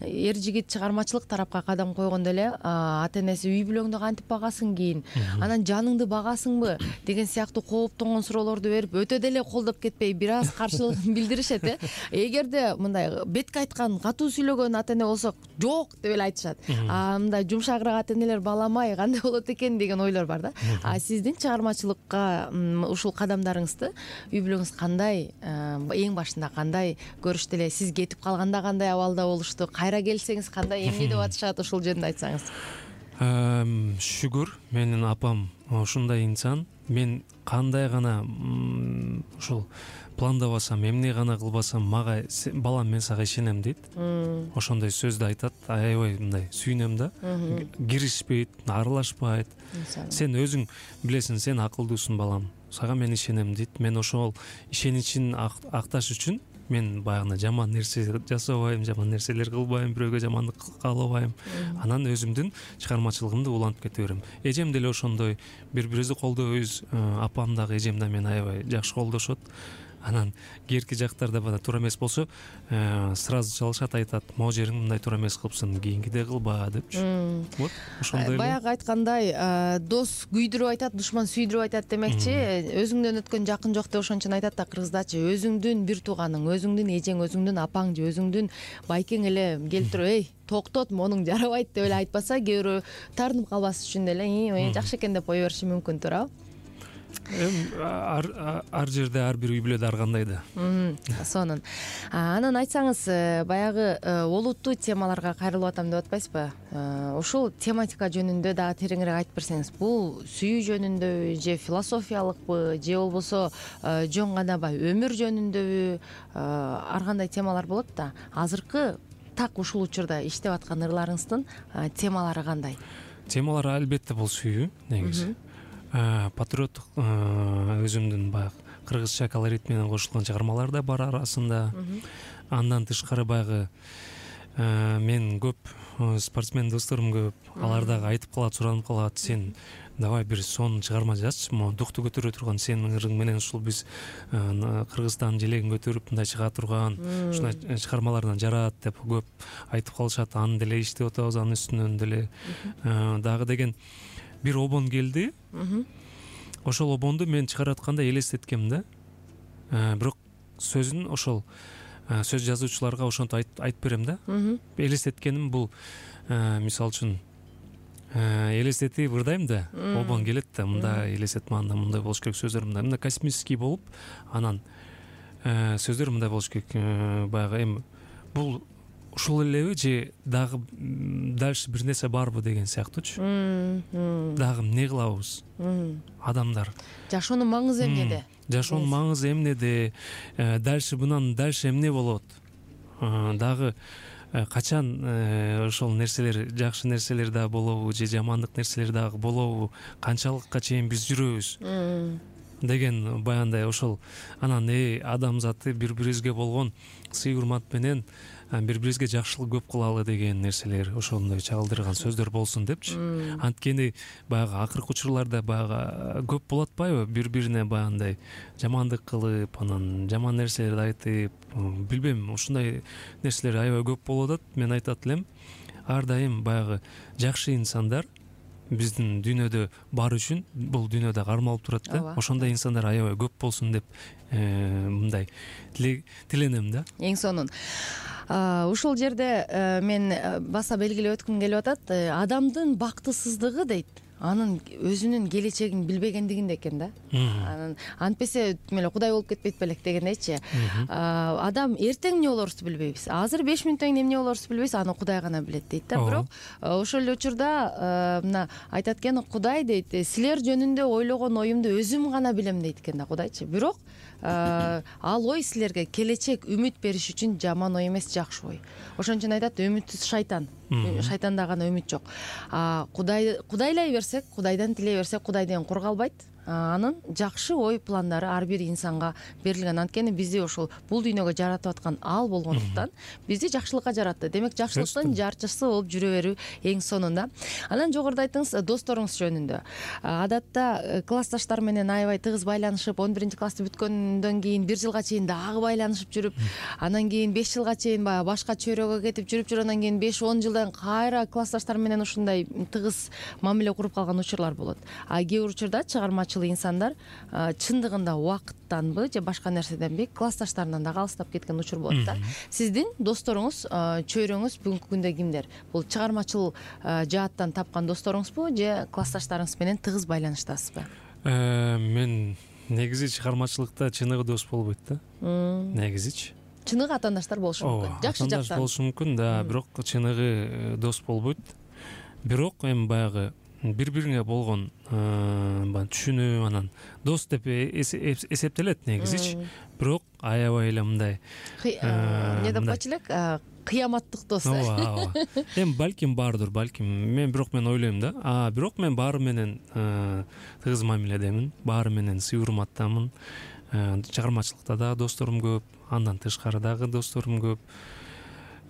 эр жигит чыгармачылык тарапка кадам койгондо эле ата энеси үй бүлөңдү кантип багасың кийин? Анан жаныңды багасыңбы деген сыяктуу кооптонгон суроолорду берип, өтө деле колдоп кетпей, бир аз каршылыгын билдиришет. Эгерде мындай бетке айткан, катуу сүйлөгөн ата эне болсо, жок деп эле айтышат. Мындай жумшагыраак ата энелер баламай кандай болот экен деген ойлор бар да. Сиздин чыгармачылыкка ушул кадамдарыңызды үй бүлөңүз кандай, эң башында кандай көрүштү эле? Сиз кетип калганда кандай абалда болушту? Кайра келсеңиз кандай эмне деп атышат? Ушул жөнүндө айтсаңыз. Шүгүр, менин апам ушундай инсан. Мен кандай гана ушул пландабасам, эмне гана кылбасам, мага балам мен сага ишенем дейт. Ошондой сөздү айтат. Аябай мындай сүйүнөм да. Киришпейт, аралашпайт. Сен өзүң билесиң, сен акылдуусуң балам. Сага мен ишенем дейт. Мен ошол ишеничин акташ үчүн мен баягы жаман нерсе жасабайм, жаман нерселер кылбайм, бирөөгө жамандык каалабайм. Анан өзүмдүн чыгармачылыгымды улантып кете берем. Эжем деле ошондой, бири-бирибизди колдойбуз. Апам дагы, эжем да мени аябай жакшы колдошот. Анан кээки жактарда бана туура эмес болсо, сразу чалышат, айтат, могу жериң мындай туура эмес кылыпсың, кийинкиде кылба депчи. Вот ошондой. Баягы айткандай, дос күйдүрүп айтат, душман сүйдүрүп айтат демекчи. Өзүңдөн өткөн жакын жок деп ошончон айтат да кыргыздачы. Өзүңдүн бир тууганың, өзүңдүн эжең, өзүңдүн апаң же өзүңдүн байкең эле келип туруп, эй, токтот, монуң жарабайт деп эле айтпаса, кээ бирөө таарынып калбас үчүн деле жакшы экен деп кое бериши мүмкүн, туурабы? Ар жерде, ар бир үй бүлөдө ар кандай да. Сонун. Анан айтсаңыз, баягы олуттуу темаларга кайрылып атам деп атпайсызбы? Ушул тематика жөнүндө дагы тереңирээк айтып берсеңиз, бул сүйүү жөнүндөбү же философиялыкпы, же болбосо жөн гана баягы өмүр жөнүндөбү, ар кандай темалар болот да. Азыркы так ушул учурда иштеп аткан ырларыңыздын темалары кандай? Темалар албетте бул сүйүү, негизи. Патриоттук өзүмдүн баягы кыргызча колорит менен кошулган чыгармалар да бар арасында. Андан тышкары баягы мен көп спортсмен досторум көп. Алар дагы айтып калат, суранып калат, сен давай бир сонун чыгарма жазчы, могу дукту көтөрө турган, сенин ырың менен ушул биз Кыргызстандын желегин көтөрүп мындай чыга турган ушундай чыгармалардан жарат деп көп айтып калышат. Аны деле иштеп атабыз, анын үстүнөн деле дагы деген бир обон келди. Ошол обонду мен чыгаратканда элестеткем да. Бирок сөзүн ошол сөз жазуучуларга ошентип айтып берем да. Элестеткеним бул, мисалы үчүн, элестетип ырдайм да, обон келет да, мындай элестетме, анда мындай болуш керек, сөздөр мындай космический болуп, анан сөздөр мындай болуш керек, баягы эми бул ушул элеби же дагы дальше бир нерсе барбы деген сыяктуучу. Дагы эмне кылабыз? Адамдар. Жашоонун маңызы эмнеде? Жашоонун маңызы эмнеде? Дальше мындан дальше эмне болот? Дагы качан ошол нерселер, жакшы нерселер дагы болобу же жамандык нерселер дагы болобу? Канчалыкка чейин биз жүрөбүз? Деген баягындай ошол. Анан адамзаты бири-бирибизге болгон сый урмат менен бири-бирибизге жакшылык көп кылалы деген нерселер, ошондой чагылдырган сөздөр болсун депчи. Анткени баягы акыркы учурларда баягы көп болуп атпайбы, бири-бирине баягындай жамандык кылып, анан жаман нерселерди айтып, билбейм, ушундай нерселер аябай көп болуп атат. Мен айтат элем, ар дайым баягы жакшы инсандар биздин дүйнөдө бар үчүн бул дүйнөдө кармалып турат да. Ошондой инсандар аябай көп болсун деп мындай тиленем да. Эң сонун. Ушул жерде мен баса белгилеп өткүм келип атат. Адамдын бактысыздыгы дейт, анын өзүнүн келечегин билбегендигинде экен да. Анан антпесе тим эле Кудай болуп кетпейт белек дегендейчи. Адам эртең эмне болорубузду билбейбиз. Азыр 5 мүнөттөн кийин эмне болорубузду билбейбиз, аны Кудай гана билет дейт да. Бирок ошол эле учурда мына айтат экен, Кудай дейт, силер жөнүндө ойлогон оюмду өзүм гана билем дейт экен да Кудайчы. Бирок ал ой силерге келечек үмүт бериш үчүн жаман ой эмес, жакшы ой. Ошон үчүн айтат, үмүтсүз шайтан. Шайтанда гана үмүт жок. Кудайлай берсек, Кудайдан тилей берсек, Кудай деген кур калбайт. Анын жакшы ой пландары ар бир инсанга берилген. Анткени бизди ошол бул дүйнөгө жаратып аткан ал болгондуктан бизди жакшылыкка жаратты. Демек жакшылыктын жарчысы болуп жүрө берүү эң сонунда. Анан жогоруда айттыңыз досторуңуз жөнүндө. Адатта классташтар менен аябай тыгыз байланышып, 11-классты бүткөндөн кийин 1 жылга чейин дагы байланышып жүрүп, анан кийин 5 жылга чейин баягы башка чөйрөгө кетип жүрүп, анан кийин 5-10 жылдан кайра классташтар менен ушундай тыгыз мамиле куруп калган учурлар болот. Кээ бир учурда чыгармачыл инсандар чындыгында убакыттанбы же башка нерседенби классташтарынан дагы алыстап кеткен учур болот да. Сиздин досторуңуз, чөйрөңүз бүгүнкү күндө кимдер? Бул чыгармачыл жааттан тапкан досторуңузбу же классташтарыңыз менен тыгыз байланыштасызбы? Мен негизи чыгармачылыкта чыныгы дос болбойт да. Негизичи. Чыныгы атаандаштар болушу мүмкүн. Жакшы жактан болушу мүмкүн да, бирок чыныгы дос болбойт. Бирок эми баягы бири бириңе болгон түшүнүү, анан дос деп эсептелет негизичи. Бирок аябай эле мындай эмне деп койчу элек, кыяматтык дос. ооба. Эми балким бардыр, балким. Мен ойлойм да. Бирок мен баары менен тыгыз мамиледемин, баары менен сый урматтамын. Чыгармачылыкта дагы досторум көп, андан тышкары дагы досторум көп.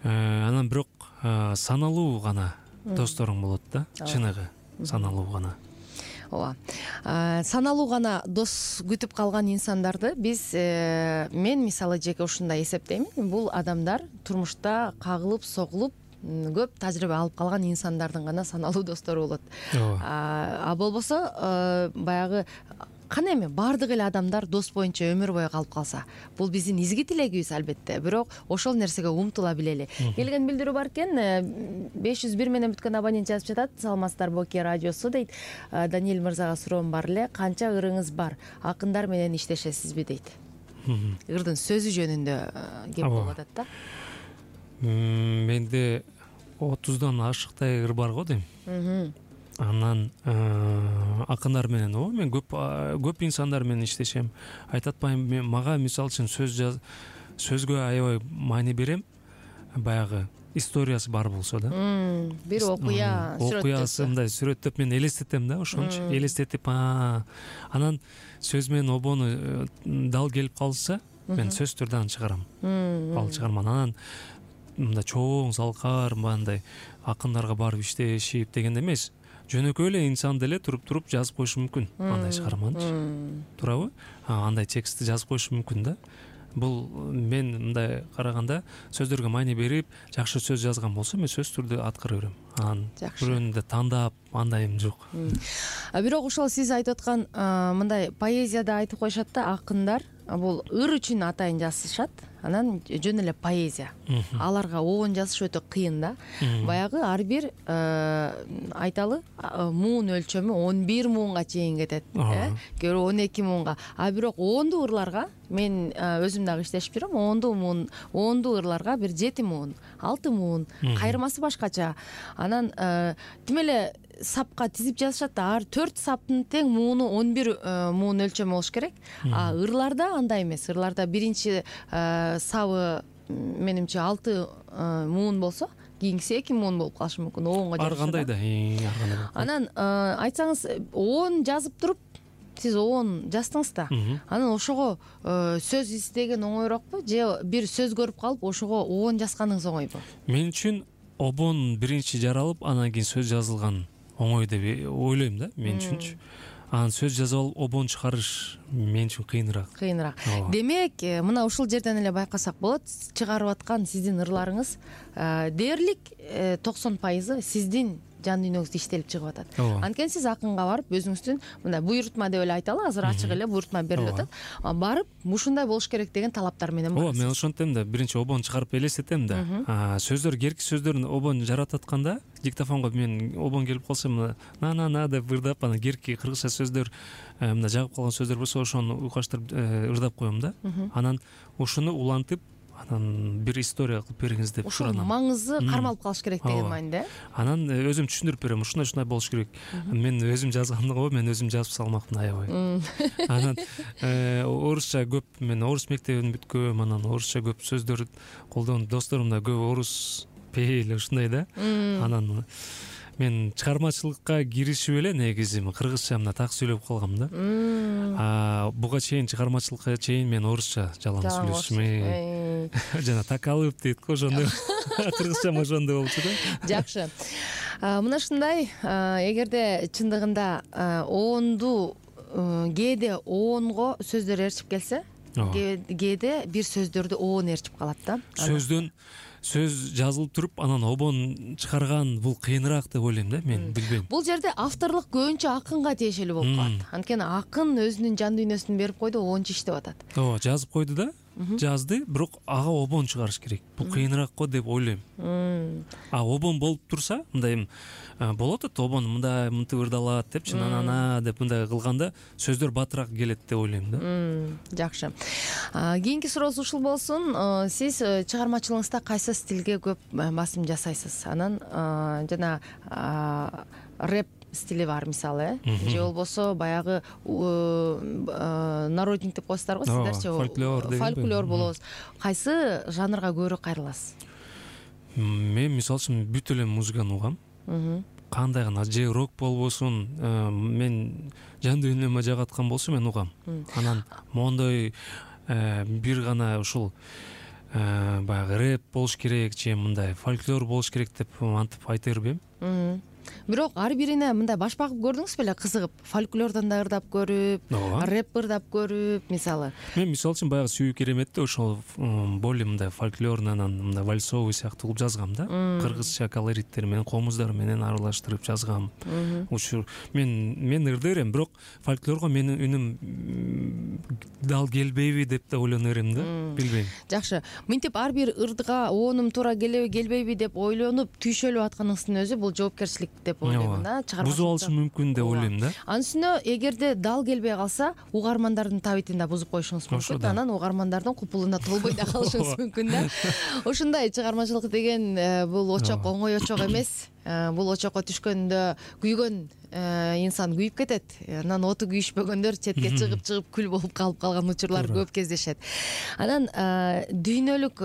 Анан бирок саналуу гана досторум болот да, чыныгы саналуу гана. Ооба. Саналуу гана дос күтүп калган инсандарды мен мисалы жеке ушундай эсептеймин. Бул адамдар турмушта кагылып, согулуп, көп тажрыйба алып калган инсандардын гана саналуу достору болот. Болбосо баягы кана эми баардык эле адамдар дос боюнча өмүр бою калып калса, бул биздин изги тилегибиз албетте. Бирок ошол нерсеге умтула билели. Келген билдирүү бар экен. 501 менен бүткөн абонент жазып жатат. Саламатсыздарбы Оке радиосу дейт. Даниэль мырзага суроом бар эле. Канча ырыңыз бар? Акындар менен иштешесизби дейт. Ырдын сөзү жөнүндө кеп болуп атат да. Менде 30дан ашыктай ыр бар го дейм. Анан акындар менен мен көп инсандар менен иштешем. Айтат атпайм, мага мисалы үчүн сөзгө аябай маани берем. Баягы историясы бар болсо да. Бир окуясы мындай сүрөттөп мен элестетем да, ошончу элестетип, анан сөз менен обону дал келип калса, мен сөз түрдө чыгарам. Ал чыгарман. Анан мындай чоң залкар, мындай акындарга барып иштешип дегенде эмес. Жөнөкөй эле инсан деле туруп жазып коюшу мүмкүн андай чыгарманчы. Туурабы? Андай текстти жазып коюшу мүмкүн да. Бул мен мындай караганда сөздөргө маани берип, жакшы сөз жазган болсо, мен сөз түрдө аткара берем. Анан бирөөнү тандап андайым жок. Бирок ошол сиз айтып аткан мындай поэзияда айтып коюшат да, акындар бул ыр үчүн атайын жазышат. Анан жөн эле поэзия. Аларга оон жазыш өтө кыйын да. Баягы ар бир айталы муун өлчөмү 11 муунга чейин кетет. Көрө 12 муунга. Бирок оондуу ырларга мен өзүм дагы иштешип жүрөм. Оондуу ырларга бир 7 муун, 6 муун, кайырмасы башкача. Анан тим эле сапка тизип жазышат да, ар 4 саптын тең мууну 11 муун өлчөмү болуш керек. Ырларда андай эмес. Ырларда биринчи сабы менимче 6 муун болсо, кийинкиси 2 муун болуп калышы мүмкүн. Оонго жазышат. Ар кандай да. Анан айтсаңыз, оон жазып туруп сиз оон жаздыңыз да. Анан ошого сөз издеген оңойрокпу же бир сөз көрүп калып ошого оон жазганыңыз оңойбу? Мен үчүн обон биринчи жаралып, анан кийин сөз жазылган оңой деп ойлойм да, мен үчүнчү. Анан сөз жазып алып обон чыгарыш мен үчүн кыйыныраак. Демек, мына ушул жерден эле байкасак болот, чыгарып аткан сиздин ырларыңыз дээрлик 90% сиздин жан дүйнөңүздө иштелип чыгып атат. Анткени сиз акынга барып өзүңүздүн мындай буйрутма деп эле айталы, азыр ачык эле буйрутма берилип атат. Барып ушундай болуш керек деген талаптар менен барасыз. Мен ошентем да, биринчи обон чыгарып элестетем да. Сөздөр, керки сөздөрүн обон жаратып атканда, диктофонго мен обон келип калса, на деп ырдап, анан керки кыргызча сөздөр, мына жагып калган сөздөр болсо, ошону уйкаштырып ырдап коем да. Анан ошону улантып, анан бир история кылып бериңиз деп суранам. Ошол маңызы кармалып калыш керек деген мааниде. Анан өзүм түшүндүрүп берем, ушундай болуш керек. Мен өзүм жазгандыгы, мен өзүм жазып салмакмын аябай. Анан орусча көп, мен орус мектебин бүткөм, анан орусча көп сөздөр колдонуп, досторум да көп орус пейил ушундай да. Анан мен чыгармачылыкка киришип эле негизи кыргызча мына так сүйлөп калгам да. Буга чейин чыгармачылыкка чейин мен орусча жалаң сүйлөшмөй. Жана так алып дейт го, ошондой. Кыргызчам ошондой болчу да. Жакшы. Мына ушундай, эгерде чындыгында оондуу кээде оонго сөздөр ээрчип келсе, кээде бир сөздөрдү оон ээрчип калат да. Сөз жазылып туруп, анан обон чыгарган бул кыйыныраак деп ойлойм да, мен билбейм. Бул жерде авторлук көбүнчө акынга тиешелүү болуп калат. Анткени акын өзүнүн жан дүйнөсүн берип койду, оончу иштеп атат. Ооба, жазып койду да, жазды, бирок ага обон чыгарыш керек. Бул кыйыныраак го деп ойлойм. Обон болуп турса, мындай болот да, обон мындай мынтип ырдалат депчи, нана деп мындай кылганда сөздөр батыраак келет деп ойлойм да. Жакшы. Кийинки сурообуз ушул болсун. Сиз чыгармачылыгыңызда кайсы стилге көп басым жасайсыз? Анан жана рэп стили бар мисалы, же болбосо баягы народник деп коесуздар го сиздерчи, фольклор болобуз. Кайсы жанрга көбүрөөк кайрыласыз? Мен мисалы үчүн бүт эле музыканы угам. Кандай гана же рок болбосун, мен жан дүйнөмө жагаткан болсо мен угам. Анан мондой бир гана ушул баягы рэп болуш керек же мындай фольклор болуш керек деп антип айта бербейм. Бирок ар бирине мындай баш багып көрдүңүз беле, кызыгып, фольклордон да ырдап көрүп, рэп ырдап көрүп, мисалы? Мен мисалы үчүн баягы Сүйүү Кереметте ошол более мындай фольклорный, анан мындай вальсовый сыяктуу кылып жазгам да. Кыргызча колориттер менен, комуздар менен аралаштырып жазгам. Учур мен ырдай берем, бирок фольклорго менин үнүм дал келбейби деп да ойлоно берем да, билбейм. Жакшы. Мынтип ар бир ырдга оонум туура келбейби деп ойлонуп түйшөлүп атканыңыздын өзү бул жоопкерчилик деп ойлойм да. Бузуп алышы мүмкүн деп ойлойм да. Анын үстүнө эгерде дал келбей калса, угармандардын табитин да бузуп коюшуңуз мүмкүн. Анан угармандардын купулуна толбой да калышыңыз мүмкүн да. Ошондой чыгармачылык деген бул очок оңой очок эмес. Бул очокко түшкөндө күйгөн инсан күйүп кетет. Анан оту күйүшпөгөндөр четке чыгып күл болуп калып калган учурлар көп кездешет. Анан дүйнөлүк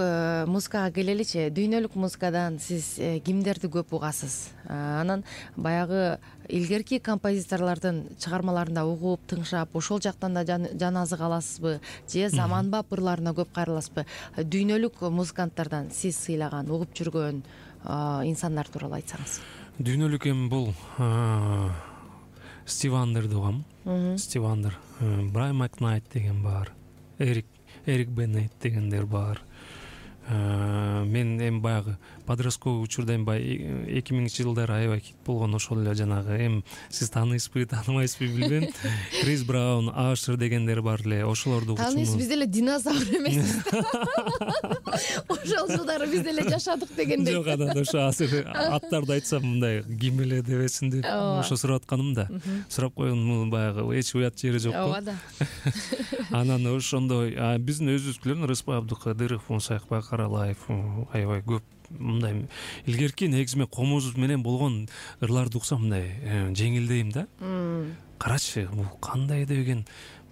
музыкага келеличи. Дүйнөлүк музыкадан сиз кимдерди көп угасыз? Анан баягы илгерки композиторлордун чыгармаларында угуп, тыңшап, ошол жактан да жан азык аласызбы? Же заманбап ырларына көп кайрыласызбы? Дүйнөлүк музыканттардан сиз сыйлаган, угуп жүргөн инсандар тууралуу айтсаңыз. Дүйнөлүк эми бул Стив Вандерди угам. Стив Вандер, Брайан Макнайт деген бар, Эрик Беннет дегендер бар. Мен эми баягы подростковый учурда эми 2000-жылдары аябай хит болгон ошол эле жанагы эми сиз тааныйсызбы, тааныбайсызбы билбейм. Крис Браун, Ашер дегендер бар эле. Ошолорду угучумун. Тааныйсыз, биз деле динозавр эмеспиз. Ошол жылдары биз деле жашадык дегендей. Жок, анан ошо азыр аттарды айтсам мындай ким эле дебесин деп ошо сурап атканым да. Сурап койгон баягы эч уят жери жок го. Ооба да. Анан ошондой биздин өзүбүздүкүлөр Рыспай Абдыкадыров, Мусаякбай Каралаев аябай көп мындай илгерки негизи мен комуз менен болгон ырларды уксам мындай жеңилдейм да. Карачы, бул кандай деген,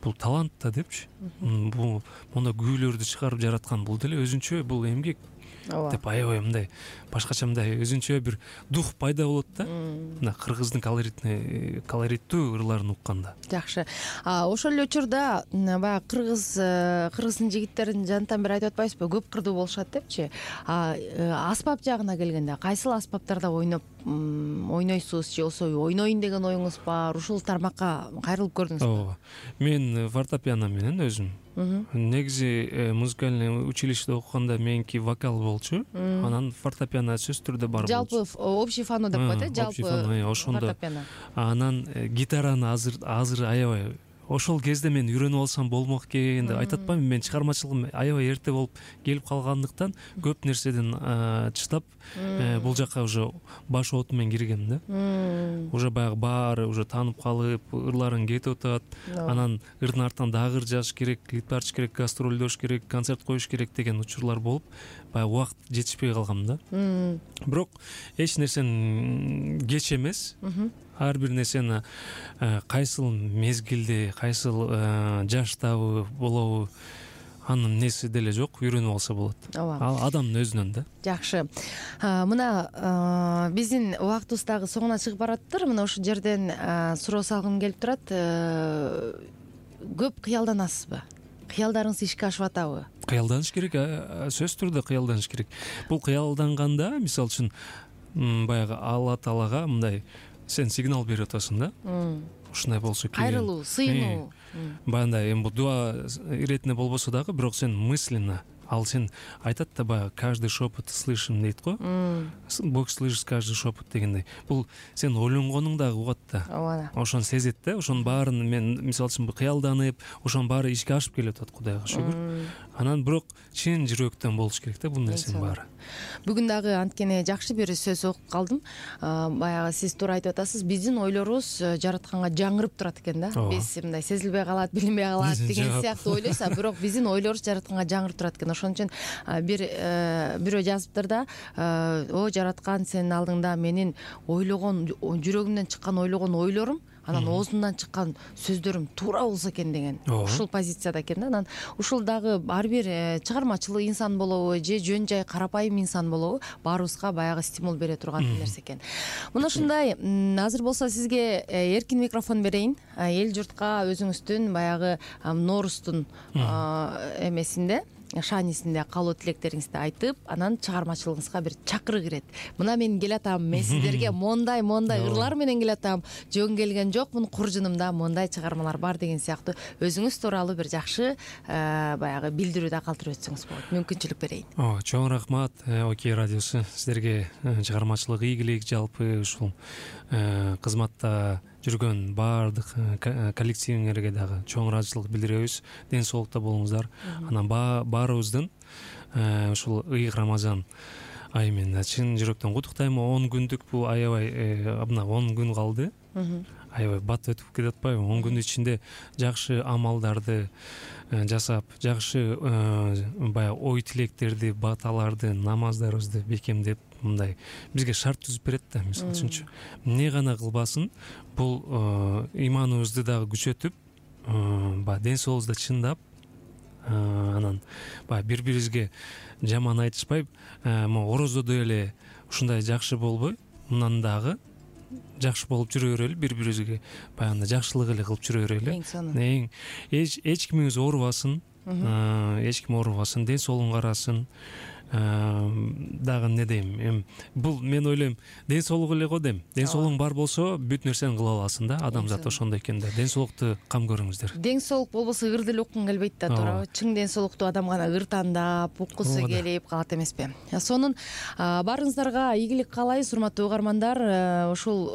бул талант да депчи. Бул монда күүлөрдү чыгарып жараткан бул деле өзүнчө бул эмгек деп аябай мындай башкача мындай өзүнчө бир дух пайда болот да. Мына кыргыздын колориттүү ырларын укканда. Жакшы. Ошол эле учурда баягы кыргыздын жигиттерин жантан бери айтып атпайсызбы? Көп кырдуу болушат депчи. Аспап жагына келгенде кайсыл аспаптарда ойнойсуз же болбосо ойнойн деген оюңуз бар? Ушул тармакка кайрылып көрдүңүзбү? Ооба. Мен фортепиано менен өзүм. Негизи музыкальный училищеде окуганда меники вокал болчу. Анан фортепиано сөзсүз түрдө бар болчу. Жалпы общий фано деп коет, жалпы ошондо. фортепиано. Анан гитараны азыр аябай ошол кезде мен үйрөнүп алсам болмок экен деп айтып атпаймынбы? Мен чыгармачылыгым аябай эрте болуп келип калгандыктан көп нерседен чыдап бул жакка уже баш оту менен киргем да. Уже баягы баары уже таанып калып, ырларың кетип атат. Анан ырдын артынан дагы ыр жазыш керек, клип тартыш керек, гастролдош керек, концерт коюш керек деген учурлар болуп, баягы убакыт жетишпей калгам да. Бирок эч нерсени кеч эмес. Ар бир нерсени кайсыл мезгилде, кайсыл жаштабы болобу, анын неси деле жок, үйрөнүп алса болот. Ал адамдын өзүнөн да. Жакшы. Мына биздин убактыбыз дагы соңуна чыгып бараттыр. Мына ушул жерден суроо салгым келип турат. Көп кыялданасызбы? Кыялдарыңыз ишке ашып атабы? Кыялданыш керек, сөзсүз түрдө кыялданыш керек. Бул кыялданганда, мисалы үчүн, баягы Алла Таалага мындай сен сигнал берип атасың да. Ушундай болсо керек. Кайрылуу, сыйынуу. Баягындай эми бул дуа иретине болбосо дагы, бирок сен мысленно, ал сен айтат да баягы каждый шепот слышим дейт го. Бог слышит каждый шепот дегендей. Бул сен ойлонгонуң дагы угат да. Ооба. Ошону сезет да. Ошонун баарын мен мисалы үчүн кыялданып, ошонун баары ишке ашып келип атат, Кудайга шүгүр. анан бирок чын жүрөктөн болуш керек да бул нерсенин баары. Бүгүн дагы анткени жакшы бир сөз окуп калдым. Баягы сиз туура айтып атасыз, биздин ойлорубуз жаратканга жаңырып турат экен да. Биз мындай сезилбей калат, билинбей калат деген сыяктуу ойлойсуз, бирок биздин ойлорубуз жаратканга жаңырып турат экен. Ошон үчүн бирөө жазыптыр да, о жараткан, сенин алдыңда менин ойлогон, жүрөгүмдөн чыккан ойлогон ойлорум, анан оозумдан чыккан сөздөрүм туура болсо экен деген. Ушул позицияда экен да. Анан ушул дагы ар бир чыгармачыл инсан болобу же жөн жай карапайым инсан болобу, баарыбызга баягы стимул бере турган нерсе экен. Мына ушундай, азыр болсо сизге эркин микрофон берейин. Эл журтка өзүңүздүн баягы Ноорустун эмесинде, шаанисинде каалоо тилектериңизди айтып, анан чыгармачылыгыңызга бир чакырык ирет. Мына мен келатам, мен сиздерге мондай ырлар менен келатам, жөн келген жокмун, куржунумда мондай чыгармалар бар деген сыяктуу өзүңүз тууралуу бир жакшы баягы билдирүү да калтырып өтсөңүз болот. Мүмкүнчүлүк берейин. Чоң рахмат Окей радиосу, сиздерге чыгармачылык ийгилик, жалпы ушул кызматта жүргөн баардык коллективиңерге дагы чоң ыраазычылык билдиребиз. Ден соолукта болуңуздар. Анан баарыбыздын ушул ыйык Рамазан айы менен чын жүрөктөн куттуктайм. 10 күндүк бул аябай, мына 10 күн калды. Аябай бат өтүп кетип атпайбы? 10 күндүн ичинде жакшы амалдарды жасап, жакшы баягы ой тилектерди, баталарды, намаздарыбызды бекемдеп, мындай бизге шарт түзүп берет да. Мисалы үчүнчү, эмне гана кылбасын, бул иманыбызды дагы күчөтүп, баягы ден соолугубузду чындап, анан баягы бири-бирибизге жаман айтышпай, могу орозодо эле ушундай жакшы болбой, мындан дагы жакшы болуп жүрө берели, бири-бирибизге баягы жакшылык эле кылып жүрө берели. Эч кимиңиз оорубасын, эч ким оорубасын, ден соолугун карасын. Дагы эмне дейм, бул мен ойлойм, ден соолук эле го дейм. Ден соолугуң бар болсо бүт нерсени кыла аласың да. Адамзат ошондой экен да. Ден соолукту кам көрүңүздөр. Ден соолук болбосо ыр деле уккун келбейт да, туурабы? Чың ден соолуктуу адам гана ыр тандап, уккусу келип калат эмеспи? Сонун баарыңыздарга ийгилик каалайбыз, урматтуу угармандар. Ушул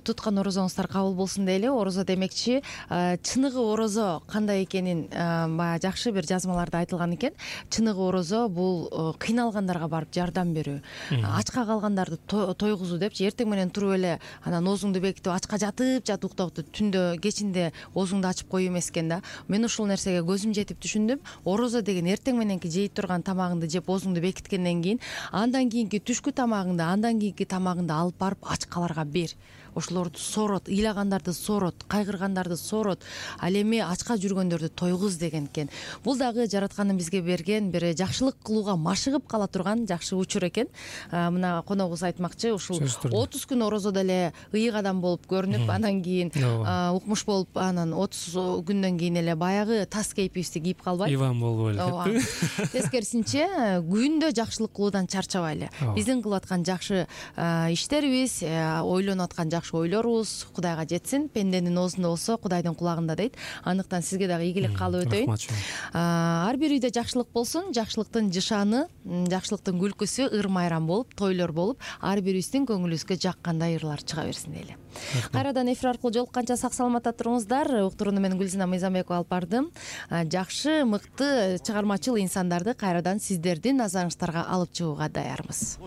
туткан орозоңуздар кабыл болсун дейли. Орозо демекчи, чыныгы орозо кандай экенин баягы жакшы бир жазмаларда айтылган экен. Чыныгы орозо бул кыйналгандарга барып жардам берүү, ачка калгандарды тойгузуу депчи. Эртең менен туруп эле анан оозуңду бекитип ачка жатып уктоп, түндө кечинде оозуңду ачып коюу эмес экен да. Мен ушул нерсеге көзүм жетип түшүндүм. Орозо деген эртең мененки жей турган тамагыңды жеп оозуңду бекиткенден кийин, андан кийинки түшкү тамагыңды, андан кийинки тамагыңды алып барып ачкаларга бер. Ошолорду сорот, ыйлагандарды сорот, кайгыргандарды сорот, ал эми ачка жүргөндөрдү тойгуз деген экен. Бул дагы жараткандын бизге берген бир жакшылык кылууга машыгып кала турган жакшы учур экен. Мына коногубуз айтмакчы, ушул 30 күн орозодо эле ыйык адам болуп көрүнүп, анан кийин укмуш болуп, анан 30 күндөн кийин эле баягы тас кейпибизди кийип калбай, Иван болбой эле. Тескерисинче, күндө жакшылык кылуудан чарчабайлы. Биздин кылып аткан жакшы иштерибиз, ойлонуп аткан жакшы ойлорубуз Кудайга жетсин. Пенденин оозунда болсо Кудайдын кулагында дейт. Андыктан сизге дагы ийгилик каалап өтөйүн. Ар бир үйдө жакшылык болсун, жакшылыктын жышаны, жакшылыктын күлкүсү ыр майрам болуп, тойлор болуп, ар бирибиздин көңүлүбүзгө жаккандай ырлар чыга берсин дейли. Кайрадан эфир аркылуу жолукканча сак саламатта туруңуздар. Уктурууну мен Гүлзина Мыйзамбекова алып бардым. Жакшы, мыкты, чыгармачыл инсандарды кайрадан сиздердин назарыңыздарга алып чыгууга даярбыз.